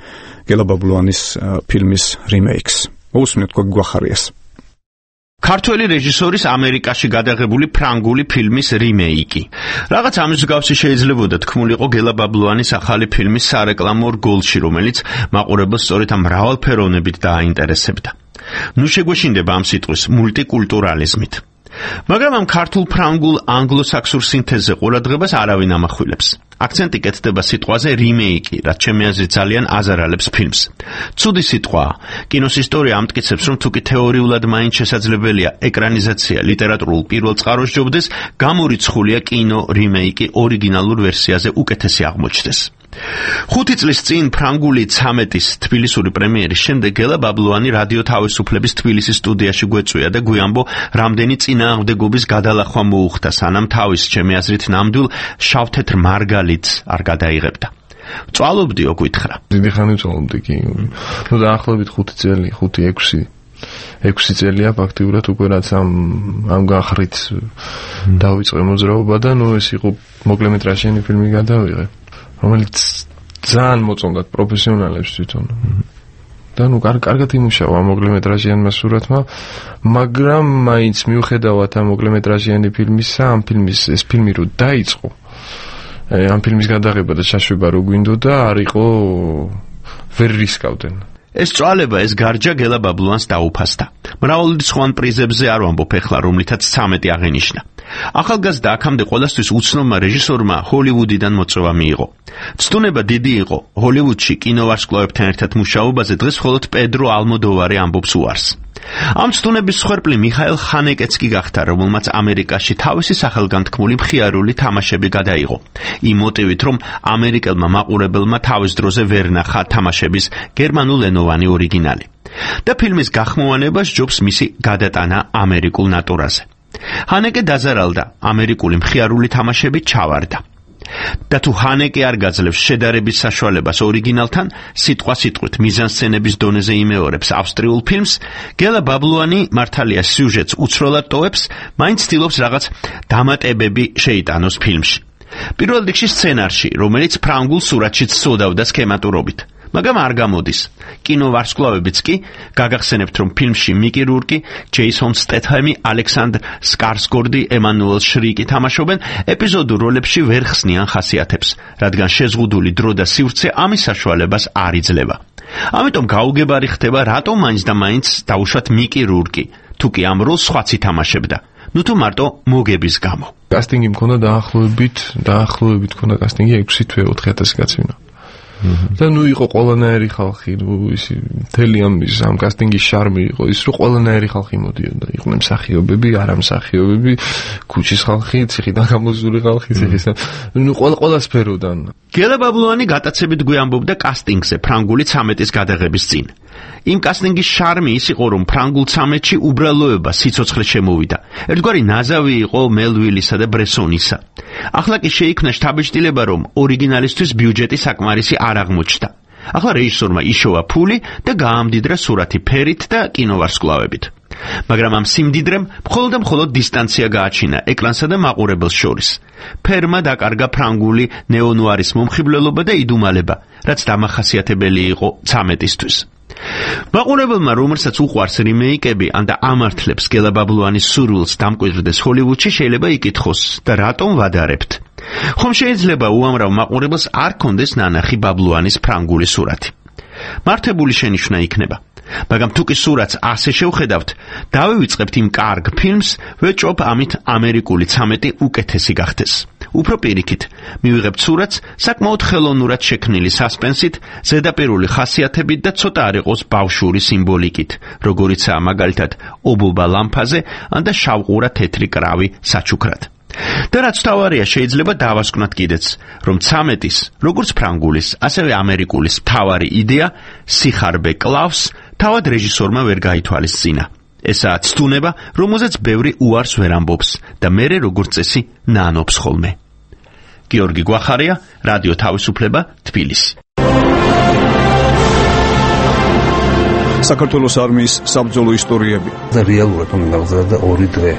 გელა ბაბლუანის ფილმის რიმეიქს. მოусმინეთ გვახარიას. ქართველი რეჟისორის ამერიკაში გადაღებული ფრანგული ფილმის რიმეიკი. რაღაც ამის მსგავსი შეიძლებოდა თქმულიყო გელა ბაბლუანის ახალი ფილმის სარეკლამო რგოლში, რომელიც მაყურებელს სწორედ ამ მრავალფეროვნებით დააინტერესებდა. ნუ შეგვეშინდება ამ სიტყვის მულტიკულტურალიზმით. მაგრამ ამ ქართულ ფრანგულ ანგლოსაქსურ სინთეზზე ყურადღებას არავინ ამახვილებს. აქცენტი კეთდება სიტყვაზე რიმეიკი, რაც ჩემი აზრით ძალიან აზარალებს ფილმს. ცუდი სიტყვაა. კინოს ისტორია ამტკიცებს, რომ თუკი თეორიულად მაინც შესაძლებელია ეკრანიზაცია ლიტერატურულ პირველ წყაროს ჯობდეს, გამორიცხულია კინო რიმეიკი ორიგინალურ ვერსიაზე უკეთესი აღმოჩნდეს. ხუთი წლის წინ ფრანგული ცამეტის თბილისური პრემიერის შემდეგ გელა ბაბლუანი რადიო თავისუფლების თბილისის სტუდიაში გვეწვია და გვიამბო, რამდენი წინააღმდეგობის გადალახვა მოუხდა, სანამ თავის ჩემი აზრით ნამდვილ შავთეთრ მარგალიტს არ გადაიღებდა. წვალობდიო, გითხრა. დიდი ხანი წვალობდი კი. ნუ დაახლოებით ხუთი წელი, ხუთი ექვსი ექვსი წელია ფაქტიურად უკვე რაც ამ ამ გახრით დავიწყე მოძრაობა და ნუ ეს იყო მოკლემეტრაჟიანი ფილმი გადავიღე, რომელიც ძალიან მოწონდათ პროფესიონალებს თვითონ. და ნუ კარგად იმუშავა მოკლემეტრაჟიანმა სურათმა, მაგრამ მაინც მიუხედავად ამ მოკლემეტრაჟიანი ფილმისა, ამ ფილმის ეს ფილმი რო დაიწყო, ამ ფილმის გადაღება და ჩაშვება რო გვინდოდა, არ იყო ვერ რისკავდნენ. ეს წვალება ეს გარჯა გელა ბაბლუანს დაუფასდა. მრავალი სხვან პრიზებზე არ ვამბობ ეხლა, რომლითაც ცამეტი აღენიშნა. ახალგაზრდა აქამდე ყველასთვის უცნობმა რეჟისორმა ჰოლივუდიდან მოწვევა მიიღო. ცდუნება დიდი იყო. ჰოლივუდში კინოვარსკვლავებთან ერთად მუშაობაზე დღეს მხოლოდ პედრო ალმოდოვარი ამბობს უარს. ამ ცდუნების მსხვერპლი მიხაელ ხანეკეც კი გახდა, რომელმაც ამერიკაში თავისი სახელგანთქმული მხიარული თამაშები გადაიღო. იმ მოტივით, რომ ამერიკელმა მაყურებელმა თავის დროზე ვერ ნახა თამაშების გერმანულენოვანი ორიგინალი. და ფილმის გახმოვანება სჯობს მისი გადატანა ამერიკულ ნატურაზე. ჰანეკე დაზარალდა, ამერიკული მხიარული თამაშები ჩავარდა. და თუ ჰანეკე არ გაძლევს შედარების საშუალებას ორიგინალთან, სიტყვა სიტყვით მიზანსცენების დონეზე იმეორებს ავსტრიულ ფილმს, გელა ბაბლუანი მართალია სიუჟეტს უცროლად ტოვებს, მაინც ცდილობს რაღაც დამატებები შეიტანოს ფილმში. პირველ რიგში სცენარში, რომელიც ფრანგულ სურათშიც სოდავდა სქემატურობით. მაგრამ არ გამოდის. კინოვარსკვლავებიც კი გაგახსენებთ, რომ ფილმში მიკი რურკი, ჯეისონ სტეთჰემი, ალექსანდრ სკარსგორდი, ემანუელ შრიკი თამაშობენ, ეპიზოდურ როლებში ვერ ხსნიან ხასიათებს, რადგან შეზღუდული დრო და სივრცე ამის საშუალებას არ იძლევა. ამიტომ გაუგებარი ხდება, რატომ მაინც და მაინც დაუშვათ მიკი რურკი, თუ კი ამ როლს სხვაც ითამაშებდა. ნუ თუ მარტო მოგების გამო. კასტინგი მქონდა დაახლოებით, დაახლოებით მქონდა კასტინგი ექვსი თვე ოთხი ათასი კაცვინა. და ნუ იყო ყველანაირი ხალხი, ნუ ისი მთელი ამის ამ კასტინგის შარმი იყო ის, რომ ყველანაირი ხალხი მოდიოდა. იყვნენ მსახიობები, არამსახიობები, ქუჩის ხალხი, ციხიდან გამოზული ხალხი, ციხის. ნუ ყველა ყველა სფეროდან. გელა ბაბლუანი გატაცებით გვიამბობდა კასტინგზე ფრანგული ცამეტის გადაღების წინ. იმ კასტინგის შარმი ის იყო, რომ ფრანგულ ცამეტში უბრალოება სიცოცხლე შემოვიდა. ერთგვარი ნაზავი იყო მელვილისა და ბრესონისა. ახლა კი შეიქმნა შთაბეჭდილება, რომ ორიგინალისთვის ბიუჯეტი საკმარისი არ აღმოჩნდა. ახლა რეჟისორმა იშოვა ფული და გაამდიდრა სურათი ფერით და კინოვარსკვლავებით. მაგრამ ამ სიმდიდრემ მხოლოდ და მხოლოდ დისტანცია გააჩინა ეკრანსა და მაყურებელს შორის. ფერმა დაკარგა ფრანგული ნეონუარის მომხიბვლელობა და იდუმალება, რაც დამახასიათებელი იყო ცამეტისთვის. მაყურებელმა, რომელსაც უყვარს რიმეიკები, ანდა ამართლებს გელა ბაბლუანის სურვილს დამკვიდრდეს ჰოლივუდში, შეიძლება იკითხოს და რატომ ვადარებთ? ხომ შეიძლება უამრავ მაყურებელს არ კონდეს ნანახი ბაბლუანის ფრანგული სურათი? მართებული შენიშვნა იქნება. მაგრამ თუ კი სურათს ასე შევხედავთ, დავივიწყებთ იმ კარგ ფილმს, ვეჭობ ამით ამერიკული ცამეტი უკეთესი გახდეს. უფრო პირიქით, მივიღებთ სურათს საკმაოდ ხელოვნურად შექმნილი სასპენსით, ზედაპირული ხასიათებით და ცოტა არ იყოს ბავშვური სიმბოლიკით, როგორიცაა მაგალითად ობობა ლამფაზე, ანდა შავყურა თეთრი კრავი საჩუქრად. და რაც თავარია, შეიძლება დავასკვნათ კიდეც, რომ ცამეტის, როგორც ფრანგულის, ასევე ამერიკულის მთავარი იდეა სიხარბე კლავს, თავად რეჟისორმა ვერ გაითვალისწინა. ესაა ცდუნება, რომელზეც ბევრი უარს ვერ ამბობს და მერე როგორც წესი ნანობს ხოლმე. გიორგი გვახარია, რადიო თავისუფლება, თბილისი. საქართველოს არმიის საბრძოლო ისტორიები და რეალურად უნდა გაგზავნა ორი დღე.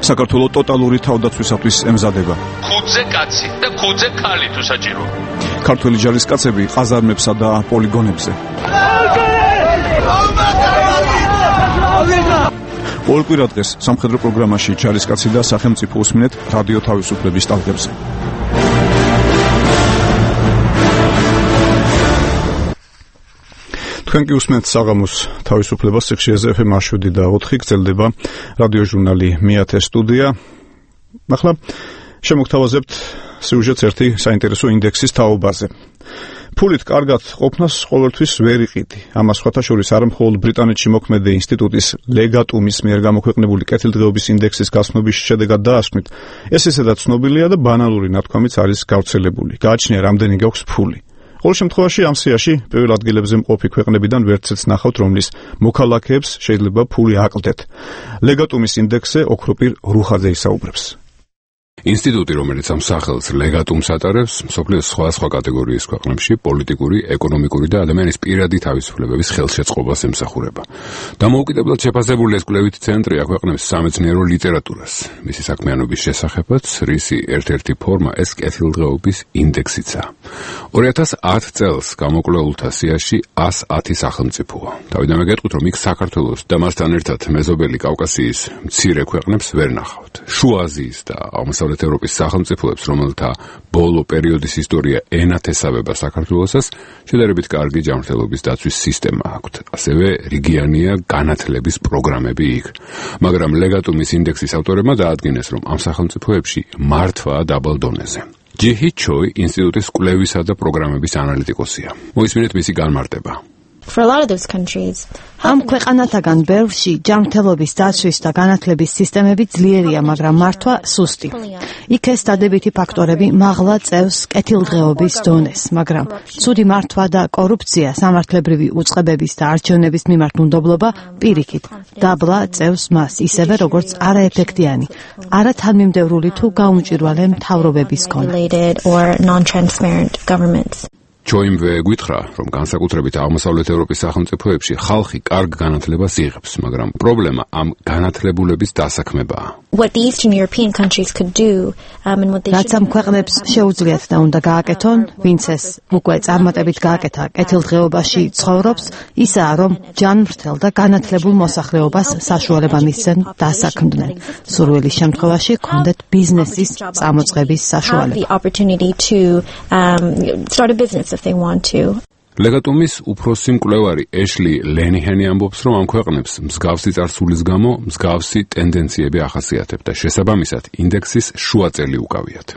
საქართველოს ტოტალური თავდაცვისათვის ემზადება. ხუთზე კაცი და ხუთზე ქალი თუ საჭირო. ქართველი ჯარისკაცები ყაზარმებსა და პოლიგონებზე. ყოველ კვირა დღეს სამხედრო პროგრამაში ჯარისკაცი და სახელმწიფო უსმინეთ რადიო თავისუფლების ტალღებზე. თქვენ კი უსმენთ საღამოს თავისუფლებას სიხშირეზე ეფ ემ შვიდი და ოთხი გრძელდება რადიო ჟურნალი მეათე სტუდია. ახლა შემოგთავაზებთ სიუჟეტს ერთი საინტერესო ინდექსის თაობაზე. ფულით კარგად ყოფნას ყოველთვის ვერ იყიდი. ამას სხვათა შორის არა მხოლოდ ბრიტანეთში მოქმედი ინსტიტუტის ლეგატუმის მიერ გამოქვეყნებული კეთილდღეობის ინდექსის გაცნობის შედეგად დაასკვნით, ეს ისედაც ცნობილია და ბანალური ნათქვამიც არის გავრცელებული. გააჩნია რამდენი გაქვს ფული. ყოველ შემთხვევაში ამ სიაში პირველ ადგილებზე მყოფი ქვეყნებიდან ვერცეც ნახავთ, რომლის მოქალაქეებს შეიძლება ფული აკლდეთ. ლეგატუმის ინდექსზე ოქროპირ რუხაძე ისაუბრებს. ინსტიტუტი, რომელიც ამ სახელს ლეგატუმს ატარებს, მსოფლიოს სხვადასხვა კატეგორიის ქვეყნებში პოლიტიკური, ეკონომიკური და ადამიანის პირადი თავისუფლებების ხელშეწყობას ემსახურება. დამოუკიდებლად შეფასებული ეს კვლევითი ცენტრი აქვეყნებს სამეცნიერო ლიტერატურას. მისი საქმიანობის შესახებაც, რისი ერთ-ერთი ფორმა ეს კეთილდღეობის ინდექსიცაა. ორი ათას ათ წელს გამოკვლეულთა სიაში ას ათი სახელმწიფოა. თავიდანვე გეტყვით, რომ იქ საქართველოს და მასთან ერთად მეზობელი კავკასიის მცირე ქვეყნებს ვერ ნახავთ. შუა აზიის და აღმოსავლეთ ევროპის სახელმწიფოებს, რომელთა ბოლო პერიოდის ისტორია ენათესავება საქართველოსაც, შედარებით კარგი ჯანმრთელობის დაცვის სისტემა აქვთ. ასევე რიგიანია განათლების პროგრამები იქ. მაგრამ ლეგატუმის ინდექსის ავტორებმა დაადგინეს, რომ ამ სახელმწიფოებში მართვაა დაბალ დონეზე. ჯიჰი ჩოი ინსტიტუტის კვლევისა და პროგრამების ანალიტიკოსია. მოისმინეთ მისი განმარტება. For a lot of those countries, ამ ქვეყანათაგან ბევრში ჯანმრთელობის დაცვის და განათლების სისტემები ძლიერია, მაგრამ მართვა სუსტი. იქ ეს დადებითი ფაქტორები მაღლა წევს კეთილდღეობის დონეს, მაგრამ ცუდი მართვა და კორუფცია, სამართლებრივი უწყებების და არჩევნების მიმართ უნდობლობა პირიქით დაბლა წევს მას, ისევე როგორც არაეფექტიანი, არათანმიმდევრული თუ გაუმჭირვალე მთავრობების ქონა. ჩოიმვე გვითხრა, რომ განსაკუთრებით აღმოსავლეთ ევროპის სახელმწიფოებში ხალხი კარგ განათლებას იღებს, მაგრამ პრობლემა ამ განათლებულების დასაქმებაა. რაც ამ ქვეყნებს შეუძლიათ და უნდა გააკეთონ, ვინც ეს უკვე წარმატებით გააკეთა კეთილდღეობაში ცხოვრობს, ისაა, რომ ჯანმრთელ და განათლებულ მოსახლეობას საშუალება მისცენ დასაქმდნენ. სურვილის შემთხვევაში ჰქონდეთ ბიზნესის წამოწყების საშუალება. If they want to. ლეგატუმის უფროსი მკვლევარი ეშლი ლენიჰენი ამბობს, რომ ამ ქვეყნებს მსგავსი წარსულის გამო მსგავსი ტენდენციები ახასიათებთ და შესაბამისად ინდექსის შუაწელი უკავიათ.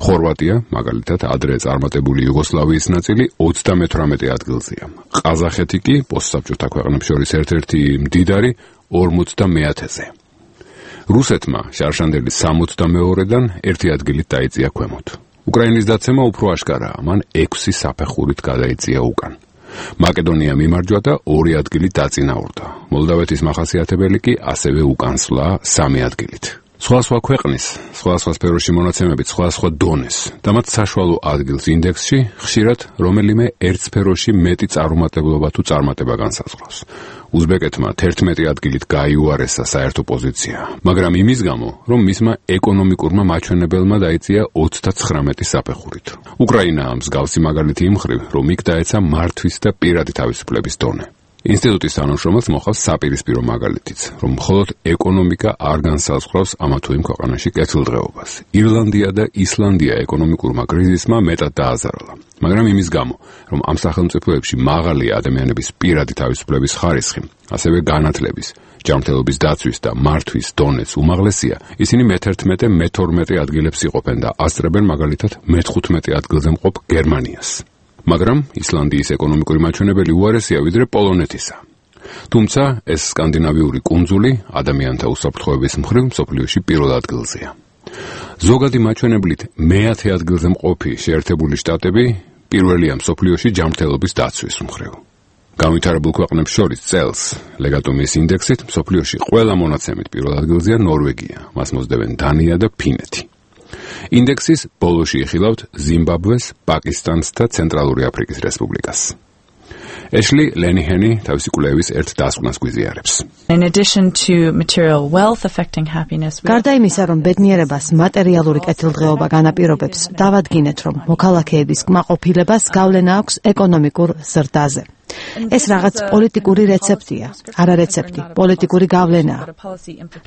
ხორვატია, მაგალითად, ადრე წარმატებული იუგოსლავიის ნაწილი ოცდამეთვრამეტე ადგილზეა. ყაზახეთი კი პოსტსაბჭოთა ქვეყნებს შორის ერთ-ერთი მდიდარი ორმოცდამეათეზე. რუსეთმა შარშანდელი სამოცდამეორედან ერთი ადგილით დაიწია ქვემოთ. უკრაინის დაცემა უფრო აშკარაა, მან ექვსი საფეხურით გადაიწია უკან. მაკედონია მიმარჯვა და ორი ადგილი დაწინაურდა. მოლდავეთის მახასიათებელი კი ასევე უკანსვლა სამი ადგილით. სხვადასხვა ქვეყნის, სხვადასხვა სფეროში მონაცემებით სხვადასხვა დონეს და მათ საშუალო ადგილს ინდექსში ხშირად რომელიმე ერთ სფეროში მეტი წარუმატებლობა თუ წარმატება განსაზღვრავს. უზბეკეთმა თერთმეტი ადგილით გაიუარესა საერთო პოზიცია, მაგრამ იმის გამო, რომ მისმა ეკონომიკურმა მაჩვენებელმა დაიწია ოცდაცხრამეტი საფეხურით. უკრაინაა მსგავსი მაგალითი იმ მხრივ, რომ იქ დაეცა მართვის და პირადი თავისუფლების დონე. ინსტიტუტის თანამშრომელს მოხავს საპირისპირო მაგალითიც, რომ მხოლოდ ეკონომიკა არ განსაზღვრავს ამა თუ იმ ქვეყანაში კეთილდღეობას. ირლანდია და ისლანდია ეკონომიკურმა კრიზისმა მეტად დააზარალა, მაგრამ იმის გამო, რომ ამ სახელმწიფოებში მაღალია ადამიანების პირადი თავისუფლების ხარისხი, ასევე განათლების, ჯანმრთელობის დაცვის და მართვის დონეც უმაღლესია, ისინი მეთერთმეტე, მეთორმეტე ადგილებს იყოფენ და ასწრებენ მაგალითად მეთხუთმეტე ადგილზე მყოფ გერმანიას. მაგრამ ისლანდიის ეკონომიკური მაჩვენებელი უარესია ვიდრე პოლონეთისა. თუმცა ეს სკანდინავიური კუნძული ადამიანთა უსაფრთხოების მხრივ მსოფლიოში პირველ ადგილზეა. ზოგადი მაჩვენებლით მეათე ადგილზე მყოფი შეერთებული შტატები პირველია მსოფლიოში ჯანმრთელობის დაცვის მხრივ. განვითარებულ ქვეყნებს შორის წელს ლეგატუმის ინდექსით მსოფლიოში ყველა მონაცემით პირველ ადგილზეა ნორვეგია, მას მოსდევენ დანია და ფინეთი. ინდექსის ბოლოში იხილავთ ზიმბაბვეს, პაკისტანს და ცენტრალური აფრიკის რესპუბლიკას. ეშლი ლენიჰენი თავისი კვლევის ერთ დასკვნას გვიზიარებს. გარდა იმისა, რომ ბედნიერებას მატერიალური კეთილდღეობა განაპირობებს, დავადგინეთ, რომ მოქალაქეების კმაყოფილებას გავლენა აქვს ეკონომიკურ ზრდაზე. ეს რაღაც პოლიტიკური რეცეპტია, არა რეცეპტი, პოლიტიკური გავლენაა.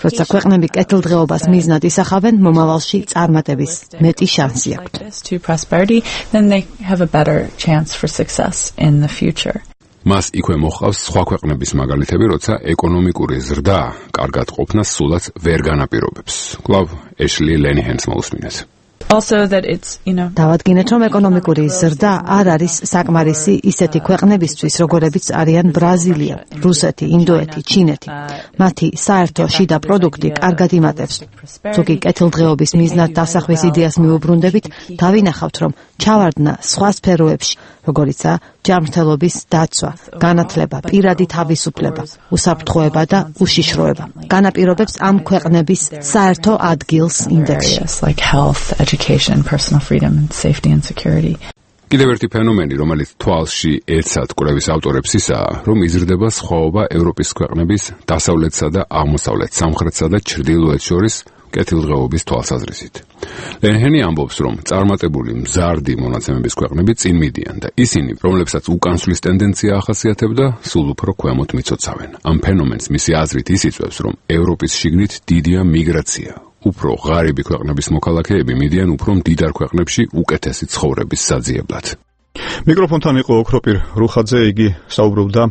როცა ქვეყნები კეთილდღეობას მიზნად ისახავენ, მომავალში წარმატების მეტი შანსი აქვთ. მას იქვე მოჰყავს სხვა ქვეყნების მაგალითები, როცა ეკონომიკური ზრდა კარგად ყოფნას სულაც ვერ განაპირობებს. კვლავ ეშლი ლენიჰენს მოусმინეთ. დავადგინეთ, რომ ეკონომიკური ზრდა არ არის საკმარისი ისეთი ქვეყნებისთვის, როგორებიც არიან ბრაზილია, რუსეთი, ინდოეთი, ჩინეთი. მათი საერთო შიდა პროდუქტი კარგად იმატებს. ზოგი კეთილდღეობის მიზნად დასახვის იდეას მიუბრუნდებით, დავინახავთ, რომ ჩავარდნა სხვა სფეროებში, როგორიცაა ჯანმრთელობის დაცვა, განათლება, პირადი თავისუფლება, უსაფრთხოება და უშიშროება. განაპირობებს ამ ქვეყნების საერთო ადგილს ინდექსში. like health, education, personal freedom, safety and security. კიდევ ერთი ფენომენი, რომელიც თვალში ეცად კვლევის ავტორებს ისაა, რომ იზრდება სხვაობა ევროპის ქვეყნების დასავლეთსა და აღმოსავლეთ, სამხრეთსა და ჩრდილოეთს შორის კეთილდღეობის თვალსაზრისით. ლენჰენი ამბობს, რომ წარმატებული მზარდი მონაცემების ქვეყნები წინ მიდიან და ისინი, რომლებსაც უკანსვლის ტენდენცია ახასიათებდა, სულ უფრო ქვემოთ მიცოცავენ. ამ ფენომენს მისი აზრით ის იწვევს, რომ ევროპის შიგნით დიდია მიგრაცია. უფრო ღარიბი ქვეყნების მოქალაქეები მიდიან უფრო მდიდარ ქვეყნებში უკეთესი ცხოვრების საძიებლად. მიკროფონთან იყო ოქროპირ რუხაძე, იგი საუბრობდა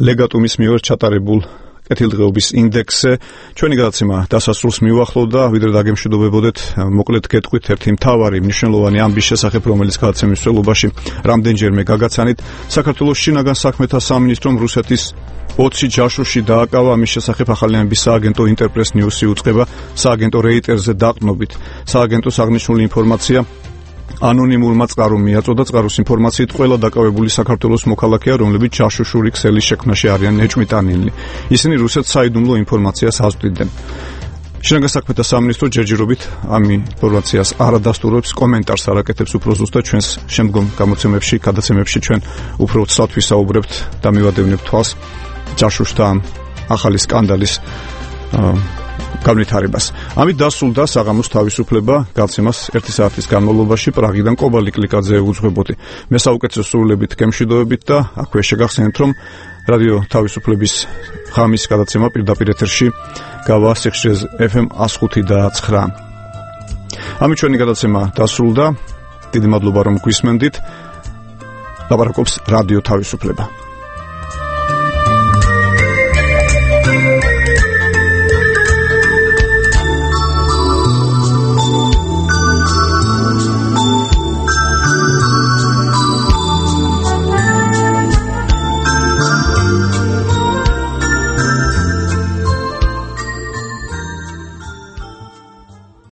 ლეგატუმის მიერ ჩატარებულ კეთილდღეობის ინდექსზე. ჩვენი გადაცემა დასასრულს მიუახლოვდა, ვიდრე დაგემშვიდობებოდეთ, მოკლედ გეტყვით ერთი მთავარი მნიშვნელოვანი ამბის შესახებ, რომელიც გადაცემის მსვლელობაში რამდენჯერმე გაგაცანით. საქართველოს შინაგან საქმეთა სამინისტრომ რუსეთის ოცი ჯაშუში დააკავა. ამის შესახებ ახალიანების სააგენტო ინტერპრეს ნიუსი უწყება სააგენტო რეიტერზე დაყრდნობით. სააგენტოს აღნიშნული ინფორმაცია ანონიმურმა წყარომ მიაწოდა. წყაროს ინფორმაციით ყველა დაკავებული საქართველოს მოქალაქეა, რომლებიც ჯაშუშური ქსელის შექმნაში არიან ეჭვმიტანილნი. ისინი რუსეთს საიდუმლო ინფორმაციას აზრდიდნენ. შინაგან საქმეთა სამინისტრო ჯერჯერობით ამ ინფორმაციას არადასტურებს, კომენტარს არ აკეთებს, უფრო ზუსტად ჩვენს შემდგომ გამოცემებში, გადაცემებში ჩვენ უფრო ცალ ვისაუბრებთ და მივადევნებთ თვალს ჯაშუშთა ახალი სკანდალის განვითარებას. ამით დასრულდა საღამოს თავისუფლება. გაცემას ერთი საათის განმავლობაში პრაღიდან კობალი კლიკაძე უძღვებოდი. მე საუკეთესო სრულებით გემშვიდობებით და აქვე შეგახსენებთ, რომ რადიო თავისუფლების ღამის გადაცემა პირდაპირ ეთერში გავა სიხშირეზე ეფ ემ one oh five და nine. ამით ჩვენი გადაცემა დასრულდა. დიდი მადლობა რომ გვისმენდით. ლაპარაკობს რადიო თავისუფლება.